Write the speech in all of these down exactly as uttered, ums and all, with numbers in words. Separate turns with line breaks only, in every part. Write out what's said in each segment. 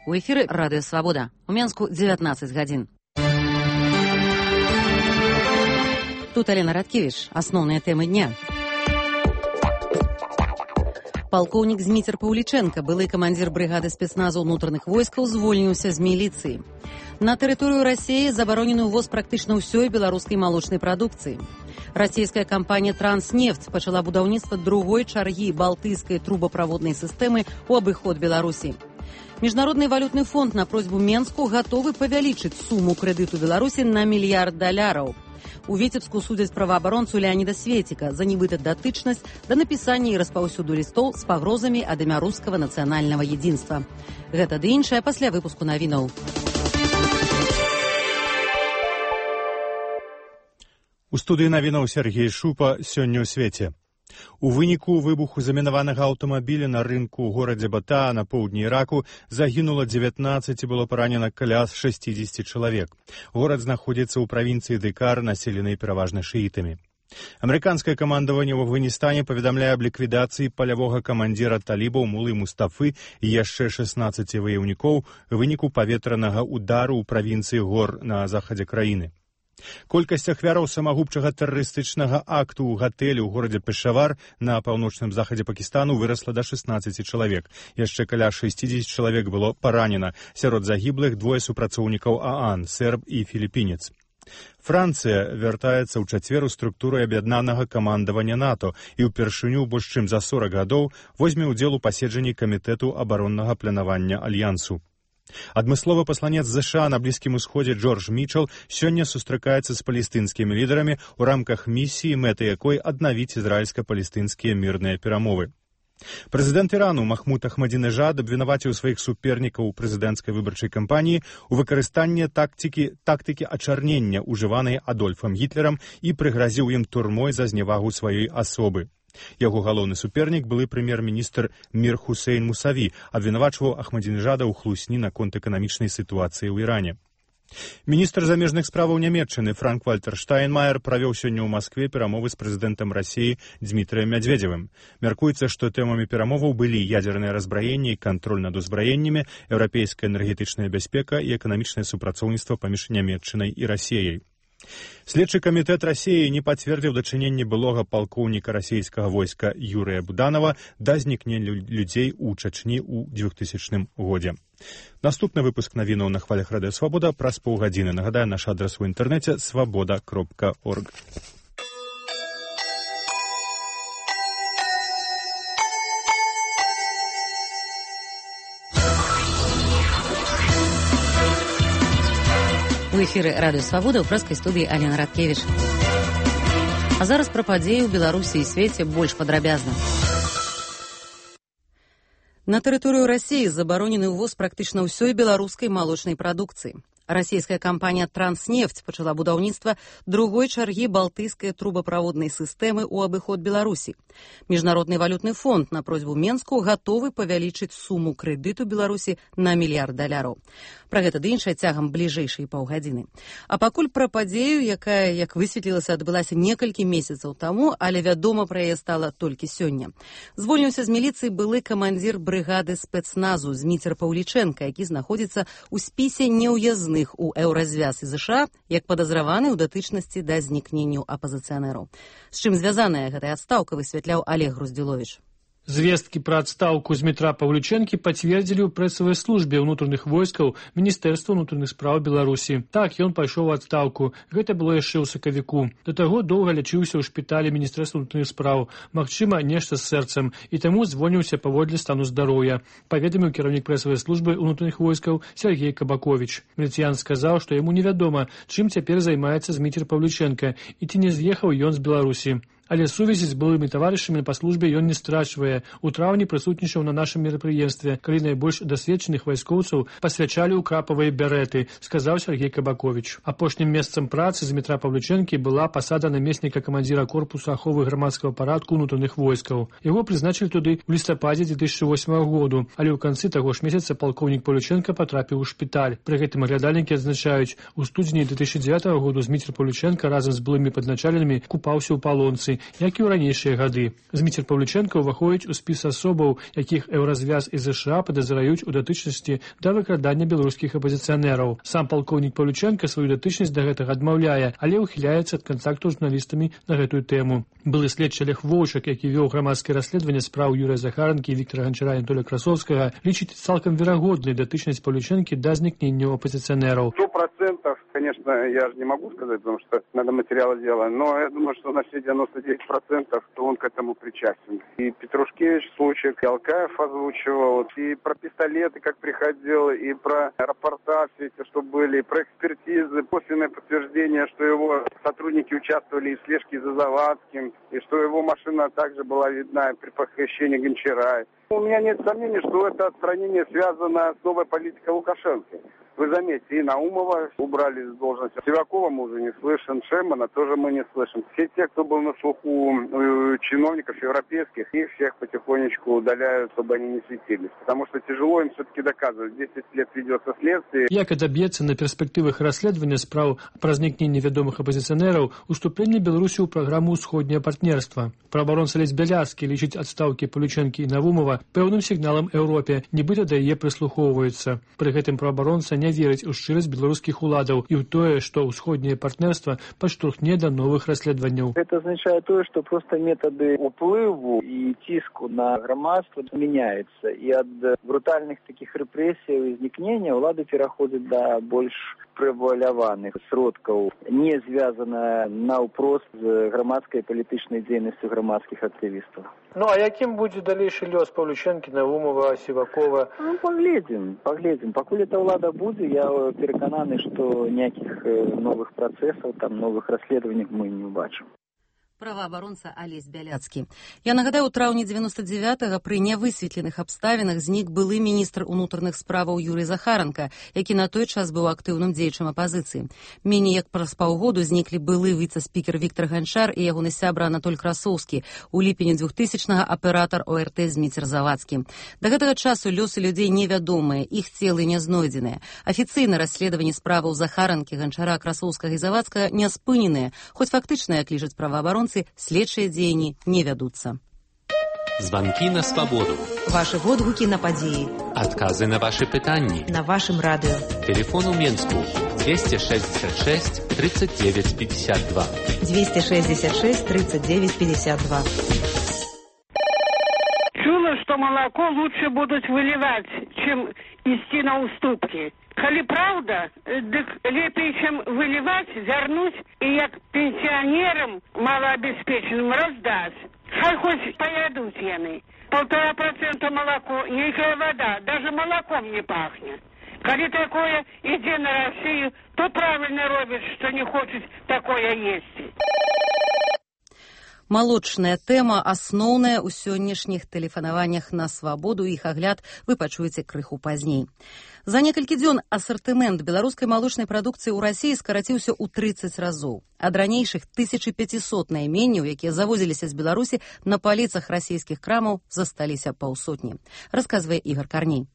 У эфіры Радыё Свабода. У Менску дзевятнаццаць гадзін. Тут Алена Радкевич. Асноўныя тэмы дня. Палкоўнік Зміцер Паўлічэнка, былы камандзір брыгады спецназу ўнутраных войскаў, звольніўся з міліцыі. На тэрыторыю Расіі забаронены ўвоз практычна ўсёй беларускай малочнай прадукцыі. Расійская кампанія «Транснефть» пачала будаўніцтва другой чаргі балтыйскай трубаправоднай сістэмы ў абыход Беларусі. Міжнародны валютны фонд на просьбу Менску гатовы павялічыць суму крэдыту Беларусі на мільярд даляраў. У Віцебску судзяць праваабаронцу Леаніда Светіка за нібыта датычнасць да напісання і распаўсюду лістоў з пагрозамі ад імя рускага нацыянальнага едзінства. Гэта ды іншае пасля выпуску навінаў.
У студыі навінаў Сергей Шупа сёння ў свеце. У выніку выбуху замінаванага аўтамабіля на рынку ў горадзе Бата на поўдні Іраку загінула дзевятнаццаць і было паранена каля шэсцідзесят чалавек. Горад знаходзіцца ў правінцыі Декар, населенай пераважна шыітамі. Амерыканскае камандаванне ў Афганістане паведамляе аб ліквідацыі палявога камандзіра талібаў Мулы Мустафы і яшчэ шаснаццаці ваяўнікоў у выніку паветранага удару ў правінцыі гор на захадзе краіны. Колькасць ахвяраў самагубчага тэрарыстычнага акту ў гатэлі ў горадзе Пешавар на паўночным захадзе Пакістану вырасла да шаснаццаці чалавек. Яшчэ каля шэсцідзесят чалавек было паранена. Сярод загіблых двое супрацоўнікаў ААН, серб і філіпінец. Францыя вяртаецца ў чацвер у структуру аб'яднанага камандавання НАТО і ўпершыню больш чым за сорак гадоў возьме ўдзел у паседжанні камітэту абароннага планавання альянсу. Адмысловы пасланец ЗША на Блізкім Усходзе Джордж Мічел сёння сустракаецца з палестынскімі лідарамі ў рамках місіі, мэтай якой аднавіць ізраільска-палестынскія мірныя перамовы. Прэзідэнт Ірану Махмуд Ахмадзінежад абвінаваціў сваіх супернікаў у прэзідэнцкай выбарчай кампаніі у выкарыстанні тактыкі, тактыкі ачарнення, ужыванай Адольфам Гітлерам, і прыгразіў ім турмой за зневагу сваёй асобы. Яго галоўны супернік, былы прэм'ер-міністр Мір Хусейн Мусаві, абвінавачваў Ахмадзінежада ў хлусні наконт эканамічнай сітуацыі ў Іране. Міністр замежных справаў Нямецчыны Франк-Вальтер Штайнмаер правёў сёння ў Маскве перамовы з прэзідэнтам Расіі Дзмітрыем Мядзведзевым. Мяркуецца, што тэмамі перамоваў былі ядзернае разбраенне і кантроль над узбраеннямі, еўрапейская энергетычная бяспека і эканамічнае супрацоўніцтва паміж Нямецчынай і Расіяй. Следчы камітэт Расіі не пацвердзіў дачыненне былога палкоўніка расійскага войска Юрыя Буданова да знікнення людзей у Чачні ў двухтысячным годзе. Наступны выпуск навінаў на хвалях Радыё Свабода праз паўгадзіны. Нагадаю, наш адрас у інтэрнэце свабода кропка орг.
У эфіры Радыё Свабода ў прэскай студыі Алена Радкевич. А зараз пра падзеі ў Беларусі і свеце больш падрабязна. На тэрыторыю Расіі забаронены ўвоз практычна ўсёй беларускай малочнай прадукцыі. Расійская кампанія «Транснефть» пачала будаўніцтва другой чаргі балтыйскай трубаправоднай сістэмы ў абыход Беларусі. Міжнародны валютны фонд на просьбу Менску гатовы павялічыць суму крэдыту Беларусі на мільярд даляраў. Пра гэта ды іншае цягам бліжэйшай паўгадзіны. А пакуль пра падзею, якая, як высветлілася, адбылася некалькі месяцаў таму, але вядома пра яе стала толькі сёння. Звольніўся з міліцыі былы камандзір брыгады спецназу Зміцер Паўлічэнка, які знаходзіцца ў спісе неўязных у еўразвяз і ЗША, як падазраваны ў датычнасці да знікненню апазіцыянераў. З чым звязаная гэтая адстаўка, высвятляў Олег Груздзіловіч.
Звесткі пра адстаўку Змітра Паўлічэнкі пацвердзілі ў прэсавай службе ўнутраных войскаў Міністэрства ўнутраных спраў Беларусі. Так, ён пайшоў у адстаўку. Гэта было яшчэ ў сакавіку. Да таго доўга лячыўся ў шпіталі Міністэрства ўнутраных спраў. Магчыма, нешта з сэрцам. І таму звольніўся паводле стану здароўя. Паведаміў кіраўнік прэсавай службы ўнутраных войскаў Сергей Кабаковіч. Міліцыян сказаў, што яму невядома, чым цяпер займаецца Зміцер Паўлічэнка і ці не з'ехаў ён з Беларусі. Але сувязі з былымі таварышамі па службе ён не страчвае. У траўні прысутнічаў на нашым мерапрыемстве, калі найбольш дасведчаных вайскоўцаў пасвячалі ў крапавыя бярэты, сказаў Сергей Кабаковіч. Апошнім месцам працы Змітра Паўлічэнкі была пасада намесніка камандзіра корпусу аховы грамадскага парадку ўнутраных войскаў. Яго прызначылі туды ў лістападзе дзве тысячы восьмага году, але ў канцы таго ж месяца палкоўнік Паўлічэнка патрапіў у шпіталь. Пры гэтым аглядальнікі адзначаюць, у студзені две тысячы дзевятага году Зміцер Паўлічэнка разам з былымі падначаленымі купаўся ў палонцы як і ў ранейшыя гады. Зміцер Павлючэнка ўваходзіць у спіс асобаў, якіх Еўразвяз і ЗША падазраюць у датычнасці да выкрадання беларускіх апазіцыянераў. Сам палкоўнік Павлючэнка сваю датычнасць да гэтага адмаўляе, але ўхіляецца ад кантакту з журналістамі на гэтую тэму. Былы следчы Олег Воўчак, які вёў грамадскае расследаванне спраў Юрыя Захаранкі і Віктара Ганчара і Анатолія Красовскага, лічыць цалкам верагоднай датычнасць Павлючэнкі да знікнення апозиционеров.
Сто процентов, конечно, я же не могу сказать, потому что надо материалы делать, но я думаю, что на все девяносто девять процентов то он к этому причастен. И Петрушкевич случай, и Алкаев озвучивал, и про пистолеты, как приходил, и про рапорта все эти, что были, и про экспертизы, косвенное подтверждение, что его сотрудники участвовали в слежке за Завадским, и что его машина также была видна при похищении Гончара. У меня нет сомнений, что это отстранение связано с новой политикой Лукашенко. Вы заметьте, и Наумова убрали с должности. Сивакова мы уже не слышим, Шемана тоже мы не слышим. Все те, кто был на слуху чиновников европейских, их всех потихонечку удаляют, чтобы они не светились. Потому что тяжело им все-таки доказывать. десять лет ведется следствие.
Як і даб'ецца на перспектывах расследавання спраў пра знікненне вядомых апозіцыянераў уступленне Беларусі ў праграму «Усходняе партнерства». Праабаронца Алесь Бяляцкі лічыць адстаўкі Павлючэнкі і Навумова пэўным сігналам Еўропе, нібыта да яе прыслухоўваюцца. Пры гэтым праабаронца не верыць у шчырасць беларускіх уладаў і ў тое, што ўсходняе партнерства падштурхне да новых расследаванняў.
Это означает то, что просто методы уплыву и тиску на громадство меняются. И от брутальных таких репрессий и изникнения улады переходят до больш преваляваных сродкаў, не звязана наўпрост з грамадскай палітычнай дзейнасцю грамадскіх актывістаў.
Ну, а якім будзе далейшы лёс Павлючэнкі, Навумова, Сівакова?
Ну, паглядзім, паглядзім. Пакуль эта ўлада будзе, я перакананы, што ніякіх новых працэсаў, там новых расследаванняў мы не ўбачым.
Праваабаронца Алесь Бяляцкі. Я нагадаю, у траўні дзевяносто девятага пры нявысветленых абставінах знік былы міністр унутраных справаў Юрый Захаранка, які на той час быў актыўным дзеячам апазіцыі. Меней як праз паўгоду зніклі былы віцэ-спікер Віктар Ганчар і ягоны сябра Анатоль Красоўскі, у ліпені двухтысячнага аператар О Р Т Зміцер Завадскі. Да гэтага часу лёсы людзей невядомыя, іх целы не знойдзеныя. Афіцыйна расследаванне справаў Захаранкі, Ганчара, Красоўскага і Завадскага не спыненыя, хоць фактычна, як лічаць праваабаронцы, следчыя дзеянні не вядуцца.
Звонки на свободу.
Ваши водгуки на падзеі.
Отказы на ваши пытанні.
На вашем радио.
Телефон у Менску двести шестьдесят шесть тридцать девять пятьдесят два.
двести шестьдесят шесть тридцать девять пятьдесят два.
Чула, что молоко лучше будут выливать, чем идти на уступки. Коли правда, дык лепей, чем выливать, зернуть и як пенсионерам малообеспеченным раздать. Хай хоть поедут яны. Полтора процента молоко, никакая вода, даже молоком не пахнет. Коли такое иди на Россию, то правильно робишь, что не хочешь такое есть.
Малочная тэма асноўная ў сённяшніх тэлефанаваннях на свабоду, іх агляд вы пачуеце крыху пазней. За некалькі дзён асартымент беларускай малочнай прадукцыі ў Расіі скараціўся ў трыццаць разоў. Ад ранейшых тысяча пятьсот найменняў, якія завозіліся з Беларусі, на паліцах расійскіх крамаў засталіся паўсотні. Расказвае Ігор Карней.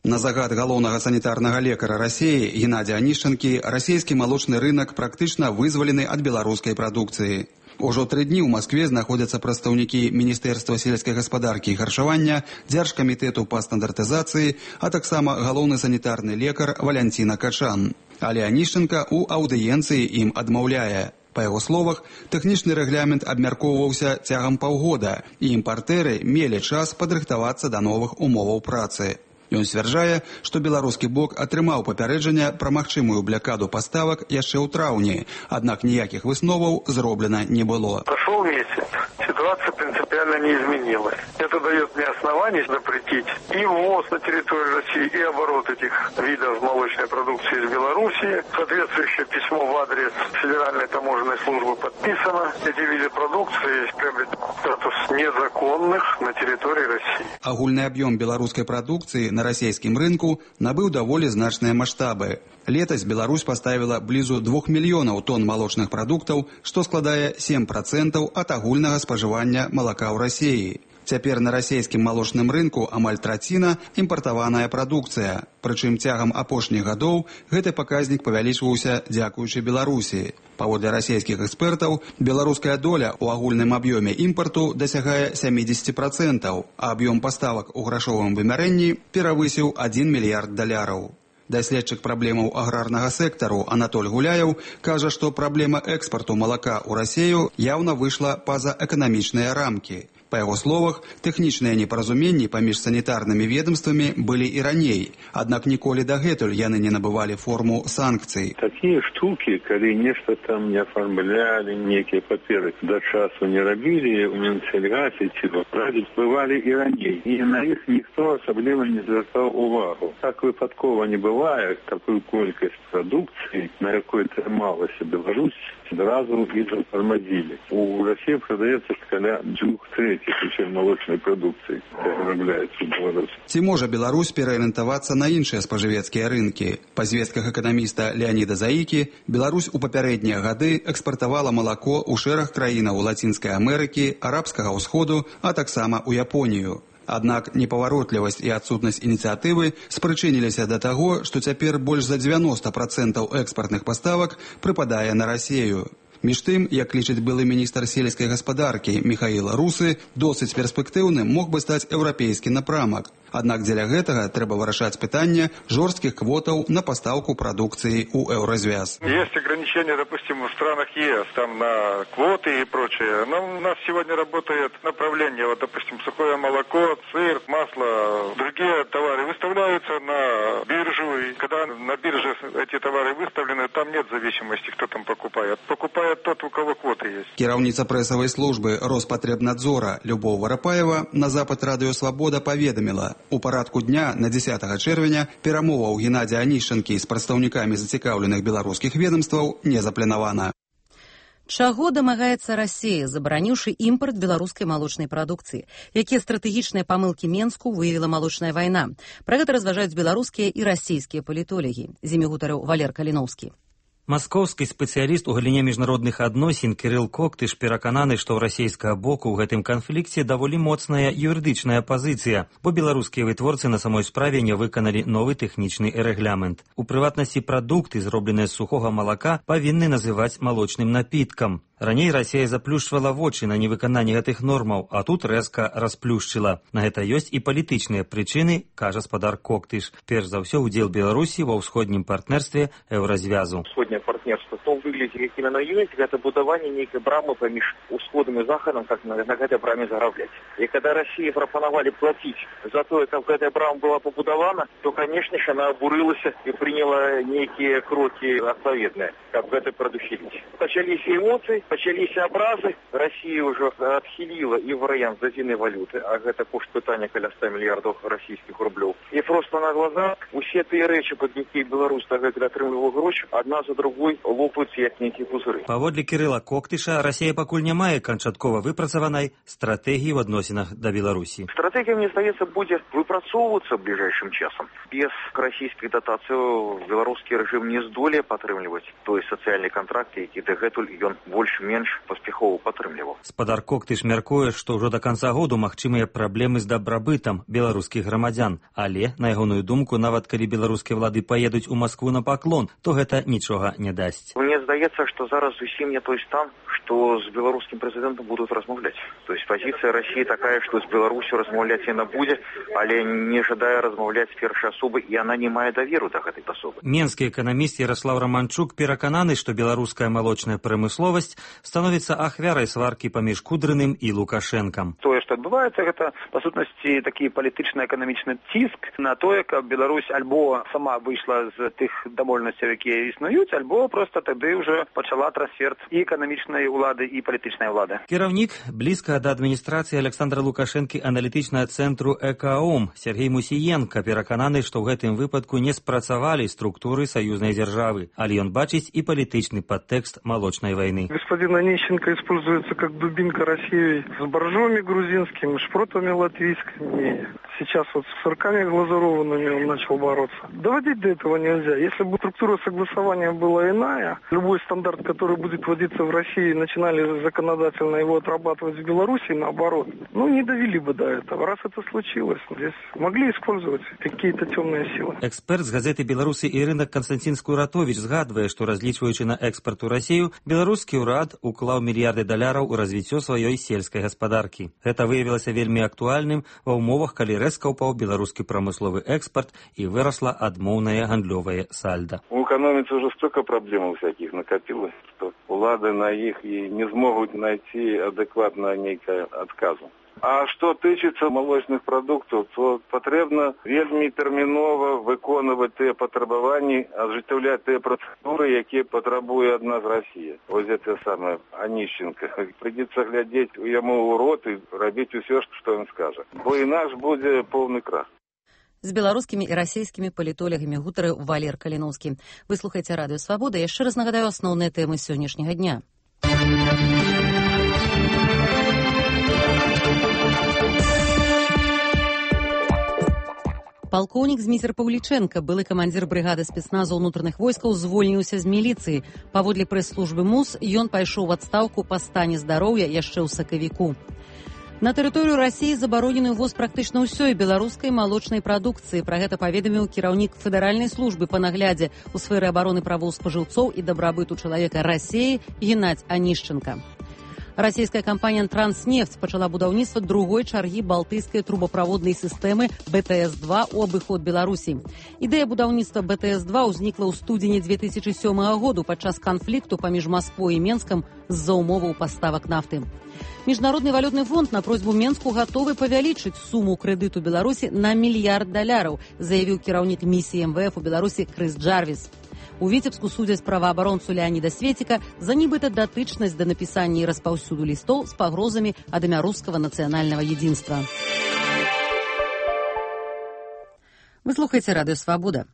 На загад галоўнага санітарнага лекара Расіі Геннадзя Анішчанкі расійскі малочны рынок практычна вызвалены ад беларускай прадукцыі. Ужо тры дні ў Маскве знаходзяцца прадстаўнікі Міністэрства сельскай гаспадаркі і харчавання, Дзяржкамітэту па стандартызацыі, а таксама галоўны санітарны лекар Валянціна Качан. Але Анішчанка ў аўдыенцыі ім адмаўляе. Па яго словах, тэхнічны рэгламент абмяркоўваўся цягам паўгода, і імпартэры мелі час падрыхтавацца да новых умоваў працы. Ён сцвярджае, што беларускі бок атрымаў папярэджанне пра магчымую блякаду паставак яшчэ ў траўні, аднак ніякіх высноваў зроблена не было.
Прошел месяц, ситуация принципиально не изменилась. Это дает мне основание запретить и ввоз на территорию России, и оборот этих видов молочной продукции из Беларуси. Соответствующее письмо в адрес Федеральной таможенной службы подписано. Эти виды продукции приобретают статус незаконных на территории России.
Агульны аб'ём беларускай прадукцыі на расійскім рынку набыў даволі значныя маштабы. Летась Беларусь поставила блізу двух мільёнаў тонн малочных прадуктаў, што складае сем процентаў ад агульнага спажывання малака ў Расіі. Цяпер на расійскім малочным рынку амаль траціна імпартаваная прадукцыя. Прычым цягам апошніх гадоў гэты паказнік павялічваўся дзякуючы Беларусі. Паводле расійскіх экспертаў, беларуская доля ў агульным аб'ёме імпарту дасягае сямідзесят процентаў, а аб'ём паставак у грашовым вымярэнні перавысіў адзін мільярд даляраў. Даследчык праблемаў аграрнага сектару Анатоль Гуляев кажа, што праблема экспарту малака ў Расію яўна выйшла па-за эканамічныя рамкі. Па яго словах, тэхнічныя непаразуменні паміж санітарнымі ведомствамі былі і раней, аднак ніколі дагэтуль яны не набывалі форму санкцый.
Такія штукі, калі нешта там не афармлялі, некія паперы да часу не рабілі, у Мінсельгасе ці радзіць, бывалі і раней. І на іх ніхто асабліва не звяртаў увагу. Так выпадкова не бывае, такую колькасць прадукцыі, на якой трымалася Беларусь, зразу і затормозили. У России продается каля двух третьих усей молочной продукции, которая вырабатывается в Беларуси.
Ці можа Беларусь пераарыентавацца на іншыя спажывецкія рынкі? Па звестках эканаміста Леаніда Заікі, Беларусь у папярэднія гады экспартавала малако ў шэраг краінаў Лацінскай Амерыкі, Арабскага ўсходу, а таксама ў Японію. Аднак непаваротлівасць і адсутнасць ініцыятывы спрычыніліся да таго, што цяпер больш за дзевяноста процентаў экспартных паставак прыпадае на Расію. Між тым, як лічыць былы міністр сельскай гаспадаркі Міхаіл Русы, досыць перспектыўным мог бы стаць еўрапейскі напрамак. Аднак дзеля гэтага трэба вырашаць пытанне жорсткіх квотаў на пастаўку прадукцыі ў еўразвяз.
Есть ограничения, допустим, в странах ЕС, там на квоты и прочее. Но у нас сегодня работает направление, вот, допустим, сухое молоко, сыр, масло, другие товары выставляются на биржу. И когда на бирже эти товары выставлены, там нет зависимости, кто там покупает. Покупает тот, у кого квоты есть.
Кіраўніца прэсавай службы Роспатребнадзора Любоў Варапаева на запад Радыё Свабода паведаміла: у парадку дня на дзесятага чэрвеня перамоваў Геннадзя Анішчанкі з прадстаўнікамі зацікаўленых беларускіх ведомстваў не запланавана.
Чаго дамагаецца Расія, забараніўшы імпарт беларускай малочнай прадукцыі? Якія стратэгічныя памылкі Менску выявіла малочная вайна? Пра гэта разважаюць беларускія і расійскія палітолагі. З імі гутарыў Валер Каліноўскі.
Маскоўскі спецыяліст у галіне міжнародных адносін Кірыл Коктыш перакананы, што ў расійскага боку ў гэтым канфлікце даволі моцная юрыдычная пазіцыя, бо беларускія вытворцы на самой справе не выканалі новы тэхнічны рэгламент. У прыватнасці прадукты, зробленыя з сухога малака, павінны называць малочным напіткам. Раней Расія заплюшчвала вочы на невыкананне гэтых нормаў, а тут рэзка расплюшчыла. На гэта ёсць і палітычныя прычыны, кажа спадар Коктыш. Перш за ўсё, удзел Беларусі ва ўсходнім партнерстве еўразвязу.
Усходняе партнерство, то выглядзе, як іменно ёсць, гэта будаванне нейкай брамы паміж усходам і захадам, как на, на гэтай браме зарабляць. І калі Расіі прапанавалі плаціць за тое, каб гэтая брама была пабудавана, то, канешне ж, яна абурылася і прыняла нейкія крокі адпаведныя, каб гэта прадухіліць. Пачаліся эмоцыі, пачаліся абразы. Расія ўжо адхіліла і варыянт з адзінай валюты, а гэта кошт пытання каля ста мільярдаў расійскіх рублёў. І проста на глазах усе тыя рэчы, пад якія Беларусь дагэтуль атрымлівала грошы, адна за другой лопаюцца як нейкія пузыры.
Паводле Кірыла Коктыша, Расія пакуль не мае канчаткова выпрацаванай стратэгіі ў адносінах да Беларусі.
Стратэгія, мне здаецца, будзе выпрацоўвацца бліжэйшым часам. Без расійскіх датацый беларускі рэжым не здолее падтрымліваць той сацыяльны кантракт, які дагэтуль ён больш-менш паспяхова падтрымліваў.
Спадар Коктыш мяркуе, што ўжо да канца году магчымыя праблемы з дабрабытам беларускіх грамадзян, але, на ягоную думку, нават калі беларускія ўлады паедуць у Маскву на паклон, то гэта нічога не дасць.
Мне здаецца, што зараз зусім не той стан, што з беларускім прэзідэнтам будуць размаўляць. То есть пазіцыя Расіі такая, што з Беларусю размаўляць яна будзе, але не жадае размаўляць з першай асобы, і яна не мае даверу да гэтай асобы.
Менскі эканаміст Яраслаў Раманчук перакананы, што беларуская малочная прамысловасць становіцца ахвярай сваркі паміж Кудрыным і Лукашэнкам.
Тое, што адбываецца, гэта, па сутнасці, такі палітычна-эканамічны ціск на тое, каб Беларусь альбо сама выйшла з тых дамоўленасцяў, якія існуюць, альбо проста тады ўжо пачала трансфер і эканамічнай улады, і палітычнай улады.
Кіраўнік блізка да адміністрацыі Александра Лукашэнкі аналітычнага цэнтру ЭКАОМ Сергей Мусіенка перакананы, што ў гэтым выпадку не спрацавалі структуры саюзнай дзяржавы, але ён бачыць і палітычны падтэкст малочнай вайны.
Господин Онищенко используется как дубинка России с боржоми грузинскими, шпротами латвийскими. сейчас вот с сырками глазурованными он начал бороться. Доводить до этого нельзя. Если бы структура согласования была иная, любой стандарт, который будет вводиться в России, начинали законодательно его отрабатывать в Беларуси, наоборот, ну не довели бы до этого. Раз это случилось, здесь могли использовать какие-то темные силы.
Эксперт з газеты «Беларуси і рынок» Константин Скуратович згадвае, што разлічваючы на экспорт у Расію, беларускі ўрад уклаў мільярды даляраў у развіццё сваёй сельскай гаспадаркі. Гэта выявілася вельмі актуальным ва ўмовах, калі рэзка ўпаў беларускі прамысловы экспорт і вырасла адмоўнае гандлёвае сальда.
У экономики уже столько проблем всяких накопилось, что улады на их и не смогут найти адекватно некое отказу. А что тычыцца молочных продуктов, то потребно вельмі терминова выконывать те потребования, осуществлять те процедуры, якія потребує ад нас Россия. Вот это самое Онищенко. Придется глядеть ему у рот и робить все, что он скажет. Бо инаш будет полный крах.
З беларускімі і расійскімі палітолягамі гутарыў Валер Каліноўскі. Вы слухаеце радыё Свабода. Яшчэ раз нагадаю асноўныя тэмы сённяшняга дня. Палкоўнік Зміцер Паўлічэнка, былы камандзір брыгады спецназу ўнутраных войскаў, звольніўся з міліцыі. Паводле прэс-службы МУС, ён пайшоў у адстаўку па стане здароўя яшчэ ў сакавіку. На тэрыторыю Расіі забаронены ўвоз практычна ўсёй беларускай малочнай прадукцыі. Пра гэта паведаміў кіраўнік федэральнай службы па наглядзе ў сферы абароны правоў спажыўцоў і дабрабыту чалавека Расіі Геннадзь Анішченка. Расійская кампанія «Транснефть» пачала будаўніцтва другой чаргі балтыйскай трубаправоднай сістэмы бэ тэ эс два ў абыход Беларусі. Ідэя будаўніцтва бэ тэ эс два ўзнікла ў студзені дзве тысячы сёмага году падчас канфлікту паміж Масквой і Менскам з-за умоваў паставак нафты. Міжнародны валютны фонд на просьбу Менску гатовы павялічыць суму крэдыту Беларусі на мільярд даляраў, заявіў кіраўнік місіі эм вэ эф у Беларусі Крыс Джарвіс. У Віцебску судзяць праваабаронцу Леаніда Светіка за нібыта датычнасць да напісання і распаўсюду лістоў з пагрозамі ад імя рускага нацыянальнага единства. Вы слухаеце радыё Свабода.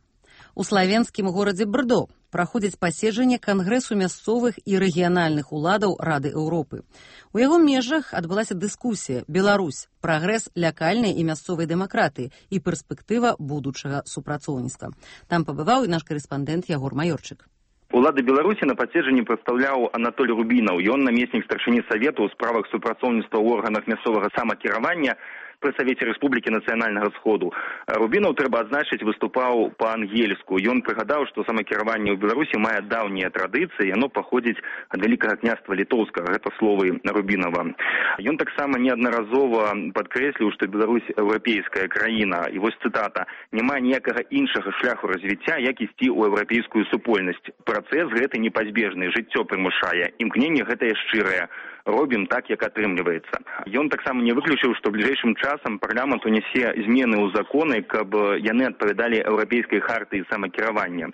У славенскім горадзе Брдо праходзіць паседжанне Кангрэсу мясцовых і рэгіянальных уладаў Рады Еўропы. У яго межах адбылася дыскусія «Беларусь. Прагрэс лякальнай і мясцовай дэмакратыі і перспектыва будучага супрацоўніцтва». Там пабываў і наш карэспандэнт Ягор Маёрчык.
Улады Беларусі на паседжанні прадстаўляў Анатоль Рубінаў. Ён намеснік старшыні Савету ў справах супрацоўніцтва ў органах мясцовага самакіравання пры Савеце Рэспублікі Нацыянальнага Сходу. Рубінаў, трэба адзначыць, выступаў па-ангельску. Ён прыгадаў, што самакіраванне ў Беларусі мае даўнія традыцыі, яно паходзіць ад вялікага княства літоўскага. Гэта словы Рубінава. Ён таксама неаднаразова падкрэсліў, што Беларусь еўрапейская краіна. І вось цытата: «Няма ніякага іншага шляху развіцця, як ісці ў еўрапейскую супольнасць. Працэс гэты непазбежны, жыццё прымушае. Імкненне гэтае шчырае. Робім так, як атрымліваецца». Ён таксама не выключыў, што бліжэйшым часам парламент унясе змены ў законы, каб яны адпавядалі еўрапейскай хартыі самакіравання.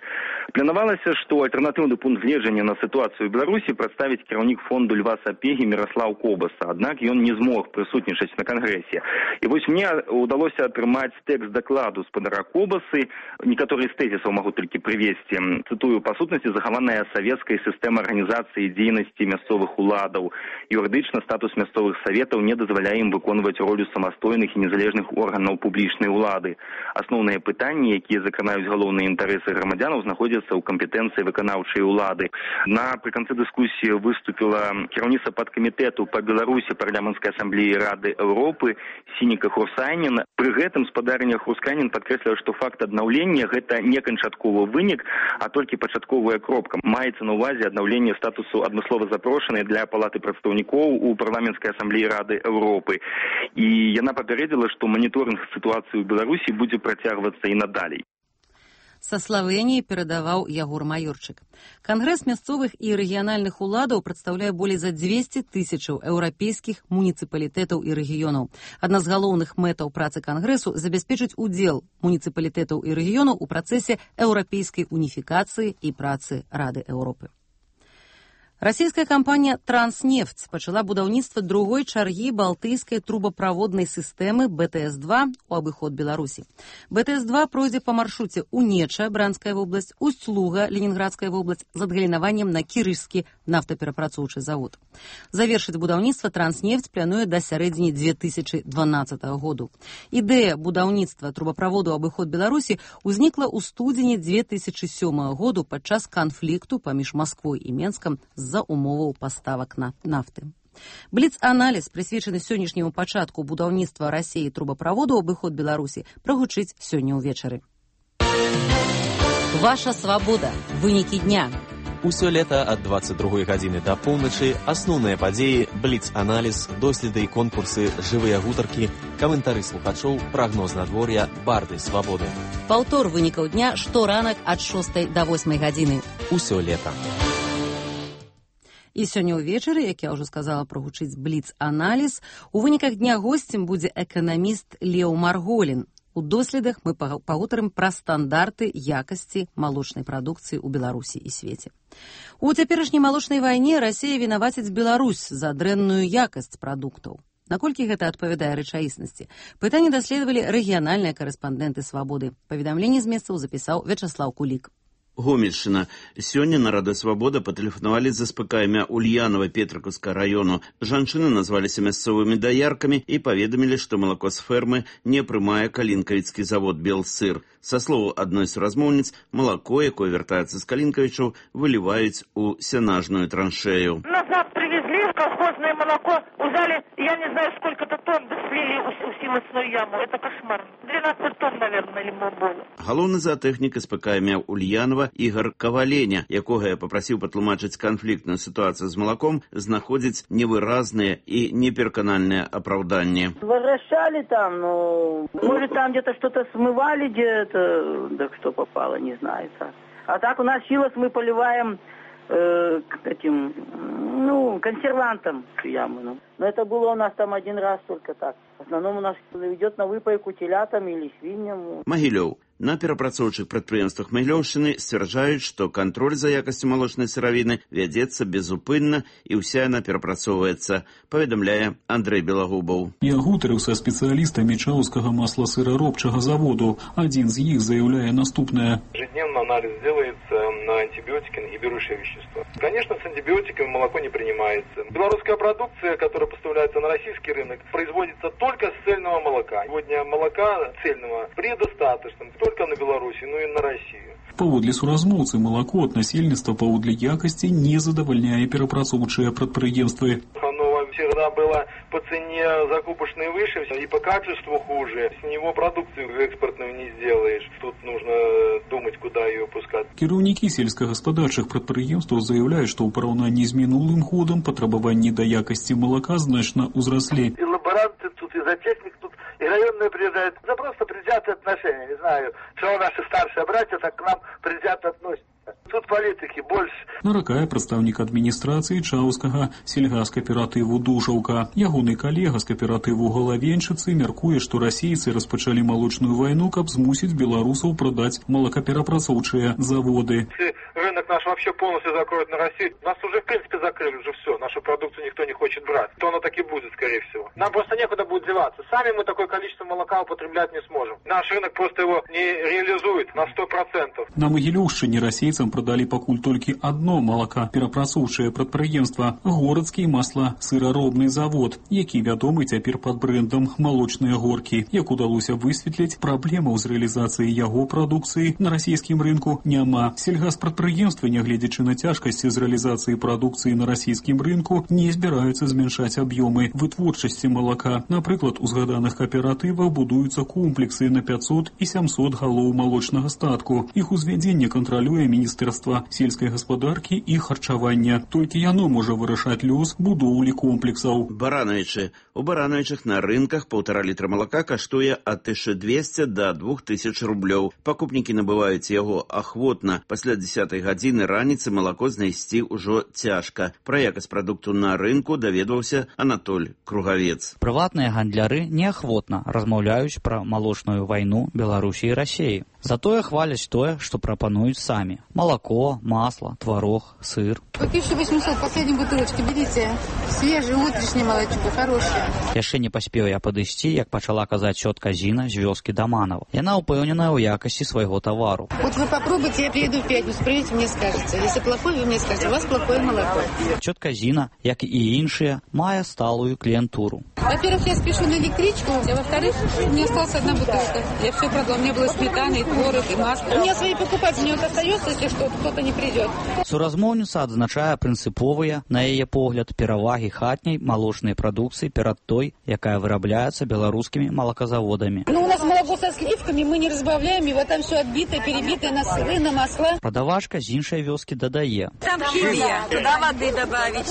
Планавалася, што альтэрнатыўны пункт гледжання на сітуацыю ў Беларусі прадставіць кіраўнік фонду Льва Сапегі Міраслаў Кобаса, аднак ён не змог прысутнічаць на кангрэсе. І вось мне ўдалося атрымаць тэкст дакладу спадара Кобасы, некаторыя з тэзісаў магу толькі прывесці. Цытую: «Па сутнасці захаваная савецкая сістэма арганізацыі дзейнасці мясцовых уладаў. Юрыдычна статус мясцовых саветаў не дазваляе ім выконваць ролю самастойных і незалежных органаў публічнай улады. Асноўныя пытанні, якія закранаюць галоўныя інтарэсы грамадзянаў, знаходзяцца ў кампетэнцыі выканаўчай улады». Напрыканцы дыскусіі выступіла кіраўніца падкамітэту па Беларусі парламенцкай асамблеі Рады Еўропы Сініка Хурсайнін. Пры гэтым спадарня Хурсайнін падкрэсліла, што факт аднаўлення – гэта не канчатковы вынік, а толькі пачатковая кропка. Маецца на ўвазе аднаўленне статусу адмыслова запрошанай для палаты прадстаўнікоў у парламенцкай асамблеі Рады Еўропы. І яна папярэдзіла, што маніторынг сітуацыі ў Беларусі будзе працягвацца і надалей.
Са Славеніі перадаваў Ягор Маёрчык. Кангрэс мясцовых і рэгіянальных уладаў прадстаўляе болей за дзвесце тысячаў еўрапейскіх муніцыпалітэтаў і рэгіёнаў. Адна з галоўных мэтаў працы кангрэсу – забяспечыць удзел муніцыпалітэтаў і рэгіёнаў у працэсе еўрапейскай уніфікацыі і працы Рады Еўропы. Расійская кампанія «Транснефть» пачала будаўніцтва другой чаргі балтыйскай трубаправоднай сістэмы бэ тэ эс два ў абыход Беларусі. бэ тэ эс два пройдзе па маршруце Унеча, Бранская вобласць, Усть-Луга, Ленінградская вобласць, з адгалінаваннем на Кірышскі, нафтаперапрацоўчы завод. Завершыць будаўніцтва «Транснефть» плануе да сярэдзіны две тысячы дванаццатага году. Ідэя будаўніцтва трубаправоду абыход Беларусі ўзнікла ў студзені две тысячы сёмага году падчас канфлікту паміж Масквой і Менскам з-за умоваў паставак нафты. Бліц-аналіз, прысвечаны сённяшняму пачатку будаўніцтва Расіі трубаправоду абыход Беларусі, прагучыць сёння ўвечары. Ваша свабода. Вынікі дня.
Усё лета ад дваццаць другой гадзіны да поўначы асноўныя падзеі, бліц-аналіз, доследы і конкурсы, жывыя гутаркі, каментары слухачоў, прагноз надвор'я, барды свабоды.
Паўтор вынікаў дня шторанак ад шостай да восьмай гадзіны.
Усё лета.
І сёння ўвечары, як я ўжо сказала, прагучыць бліц-аналіз. У выніках дня госцем будзе эканаміст Леў Марголін. У доследах мы пагутарым пра стандарты якасці малочнай прадукцыі ў Беларусі і свеце. У цяперашняй малочнай вайне Расія вінаваціць Беларусь за дрэнную якасць прадуктаў. Наколькі гэта адпавядае рэчаіснасці? Пытанне даследавалі рэгіянальныя карэспандэнты «Свабоды». Паведамленне з месцаў запісаў Вячаслаў Кулік.
Гомельщина. Сёння на Радыё Свабода патэлефанавалі з СПК імя Ульянова Петрыкаўскага району. Жанчыны назваліся мясцовымі даяркамі і паведамілі, што малако з фермы не прымае калінкавіцкі завод «Белсыр». Са словаў адной з размоўніц, малако, якое вяртаецца з калінкавічаў, выліваюць у сенажную траншею.
Назад привезли колхозное молоко, узяли, я не знаю, сколько-то тонн слили у силосную яму. Это кошмар. двенадцать тонн, наверное, лимон было.
Галоўны заатэхнік СПК імя Ульянова Ігор Каваленя, якога я папрасіў патлумачыць канфліктную сітуацыю з малаком, знаходзіць невыразныя і непераканальныя апраўданні.
Возвращали там, ну, может, там где-то что-то смывали, где-то, да что попало, не знаю. А так у нас силос мы поливаем э, этим, ну, консервантом яму. Ну. Но это было у нас там один раз только так. В основном у нас идет на выпайку телятам или свиньям.
Магілёў. На перапрацоўчых прадпрыемствах Магілёўшчыны сцвярджаюць, што кантроль за якасцю малочнай сыравіны вядзецца безупынна і ўся яна перапрацоўваецца, паведамляе Андрэй Белагубаў.
Я гутарыў са спецыялістамі Чаўскага масласыраробчага заводу. Адзін з іх заяўляе наступнае.
Ежедневно анализ делается на антибиотики и берущие вещества. Конечно, с антибиотиками молоко не принимается. Белорусская продукция, которая поставляется на российский рынок, производится только с цельного молока. Сегодня молока цельного предостаточно только на Беларуси, но и на Россию.
Паводле суразмоўцы, молоко от насельніцтва паводле якасці не задавальняе перапрацоўчыя прадпрыемствы.
Оно всегда было по цене закупочной выше и по качеству хуже. С него продукцию экспортную не сделаешь. Тут нужно думать, куда ее пускать.
Кіраўнікі сельскагаспадарчых прадпрыемстваў заяўляюць, што ў параўнанні з мінулым годам патрабаванні да якасці молока значна ўзраслі.
И лаборанты тут, и зоотехник тут, и районные приезжают. За просто предвзятые отношения. Не знаю, что наши старшие братья так к нам предвзято относятся. Тут политики больше.
Наракае прадстаўнік адміністрацыі Чаўскага сельгаскааператыву «Душаўка». Ягоны калега з кааператыву «Галавенчыцы» мяркуе, што расейцы распачалі малочную вайну, каб змусіць беларусаў прадаць малакаперапрацоўчыя заводы.
Если рынок наш вообще полностью закроют на Россию, нас уже в принципе закрыли уже все. Нашу продукцию никто не хочет брать. То оно так и будет, скорее всего. Нам просто некуда будет деваться. Сами мы такое количество молока употреблять не сможем. Наш рынок просто его не реализует на сто процентов.
На Магілёўшчыне расейцам прадалі пакуль толькі адно малакаперапрацоўчае прадпрыемства – горадскі масла-сыраробны завод, які вядомы цяпер пад брэндам «Малочныя горкі». Як удалося высветліць, праблемаў з рэалізацыяй яго прадукцыі на расійскім рынку няма. Сельгаспрадпрыемствы, нягледзячы на цяжкасці з рэалізацыяй прадукцыі на расійскім рынку, не збіраюцца змяншаць аб'ёмы вытворчасці малака. Напрыклад, у згаданых кааператывах будуюцца комплексы на пятьсот і сямсот галоў малочнага статку. Іх узвядзенне кантралюе Міністэрства сельскай гаспадаркі і харчавання. Толькі яно можа вырашаць лёс будоўлі комплексаў.
Барановичы. У Барановичах на рынках полтора літра малака каштуе ад тысячы двухсот до двух тысяч рублёў. Пакупнікі набываюць яго ахвотна. Пасля дзесятай гадзіны раніцы малако знайсці ўжо цяжка. Пра якасць прадукту на рынку даведваўся Анатоль Кругавец.
Прыватныя гандляры неахвотна размаўляюць пра малочную вайну Беларусі і Расіі.
Затое хваляць тое, што прапануюць самі. Малако, масло, творог, сыр.
По тысяча восемьсот последней бутылочки берите. Свежее, утреннее молочко, хорошее.
Яшчэ не паспеў я падысці, як пачала казаць цётка Зіна з вёскі Даманова. Яна ўпэўненая ў якасці свайго тавару.
Вот вы попробуйте, я приеду в пятницу, приедете, мне скажете. Если плохое, вы мне скажете, у вас плохое молоко.
Цётка Зіна, як і іншыя, мае сталую кліентуру.
Во-первых, я спешу на электричку, а во-вторых, у меня осталась одна бутылка. Я все продала, у меня было сметана, и творог, и масло. У меня свои покупатели, мне вот остается, если что, кто-то не придет.
Суразмоўніца адзначае прынцыповыя, на яе погляд, перавагі хатняй малочнай прадукцыі перад той, якая вырабляецца беларускімі малаказаводамі.
Ну, у нас молоко со сливками, мы не разбавляем его, там все отбитое, перебитое на сыры, на масла.
Прадавачка з іншай вёскі дадае.
Там химия, туда воды добавить,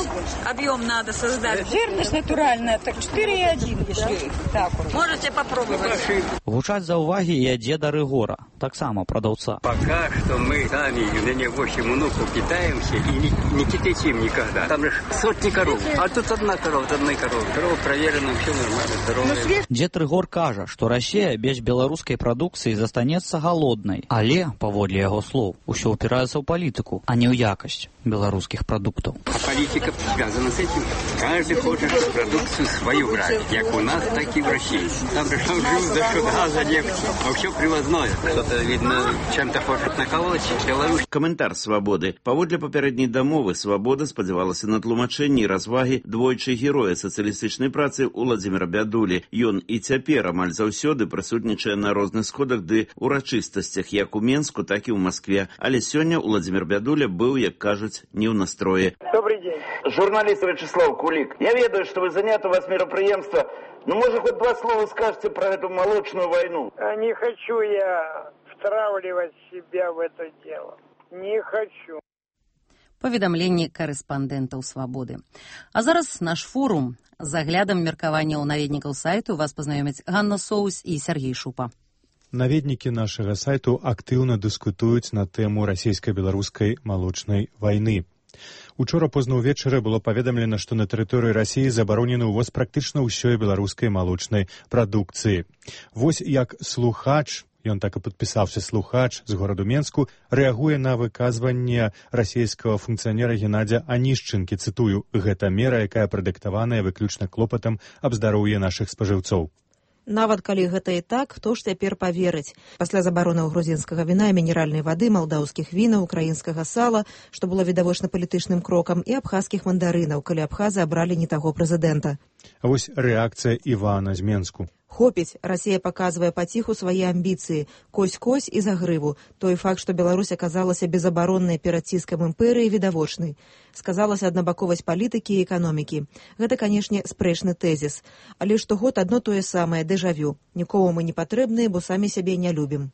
объем надо создать. Жирность натуральная, так четыре и один, если так. Можете попробовать.
Гучаць заўвагі і ад дзеда Рыгора, таксама прадаўца.
Пока что мы сами, у меня восемь внуков, питаемся и не, не кипятим никогда. Там же сотни коров, а тут одна корова, одна корова. Корова проверена, все нормально, здоровая.
Дзед Рыгор кажа, што Расія без беларускай прадукцыі застанецца галоднай. Але, паводле яго слоў, усё ўпіраецца ў палітыку, а не ў якасць беларускіх прадуктаў.
А политика связана с этим. Каждый хочет продукцию свою брать, как у нас, так и в России. Там же что живут за счет газа, нефти, а все привозное. Кто-то, видно, чем-то хочет наколоть. Беларусь.
Каментар «Свабоды». Паводле папярэдняй дамовы «Свабода» спадзявалася на тлумачэнні і развагі двойчы героя сацыялістычнай працы Уладзіміра Бядулі. Ён і цяпер амаль заўсёды прысутнічае на розных сходах ды урачыстасцях як у Менску, так і ў Маскве. Але сёння Уладзімір Бядуля быў, як кажуць, не ў настроі.
Добрый день. Журналист Вячеслав Кулик. Я ведаю, что вы заняты, у вас мероприемство. Ну, может, хоть два слова скажете про эту молочную войну?
Не хочу я втравливать себя в это дело. Не хочу.
Паведамленні карэспандэнтаў «Свабоды». А зараз наш форум. З аглядам меркаванняў наведнікаў сайту вас пазнаёмяць Ганна Соус і Сергей Шупа.
Наведнікі нашага сайту актыўна дыскутуюць на тэму расійска-беларускай малочнай вайны. Учора позна ўвечары было паведамлена, што на тэрыторыі Расіі забаронены ўвоз практычна ўсёй беларускай малочнай прадукцыі. Вось як слухач, ён так і падпісаўся, слухач з гораду Менску, рэагуе на выказванне расійскага функцыянера Геннадзя Анішчынкі, цытую, «Гэта мера, якая прадыктаваная выключна клопатам аб здароўі нашых спажыўцоў».
Нават калі гэта і так, хто ж цяпер паверыць? Пасля забаронаў грузінскага віна і мінеральнай вады, малдаўскіх вінаў, украінскага сала, што было відавочна палітычным крокам, і абхазскіх мандарынаў, калі абхазы абралі не таго прэзідэнта.
А вось рэакцыя Івана з Менску.
Хопіць, Расія паказвае паціху свае амбіцыі, кось-кось і за грыву. Той факт, што Беларусь аказалася безабароннай перад ціскам імперыі, відавочны. Сказалася аднабаковасць палітыкі і эканомікі. Гэта, канешне, спрэчны тэзіс. Але штогод адно тое самае, дэжавю. Нікому мы не патрэбныя, бо самі сябе не любім.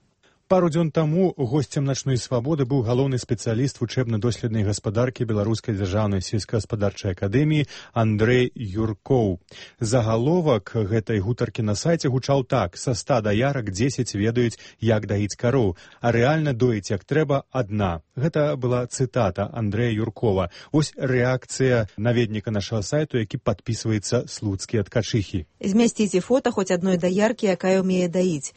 Пару дзён таму госцем начной свабоды быў галоўны спецыяліст вучэбна-доследнай гаспадаркі Беларускай дзяржаўнай сельскагаспадарчай акадэміі Андрэй Юркоў. Загаловак гэтай гутаркі на сайце гучаў так: са ста даярак дзесяць ведаюць, як даіць кароў, а рэальна доіць як трэба адна. Гэта была цытата Андрэя Юркова. Вось рэакцыя наведніка нашага сайту, які падпісваецца «Слуцкія ткачыхі».
Змясціце фота хоць адной даяркі, якая ўмее даіць.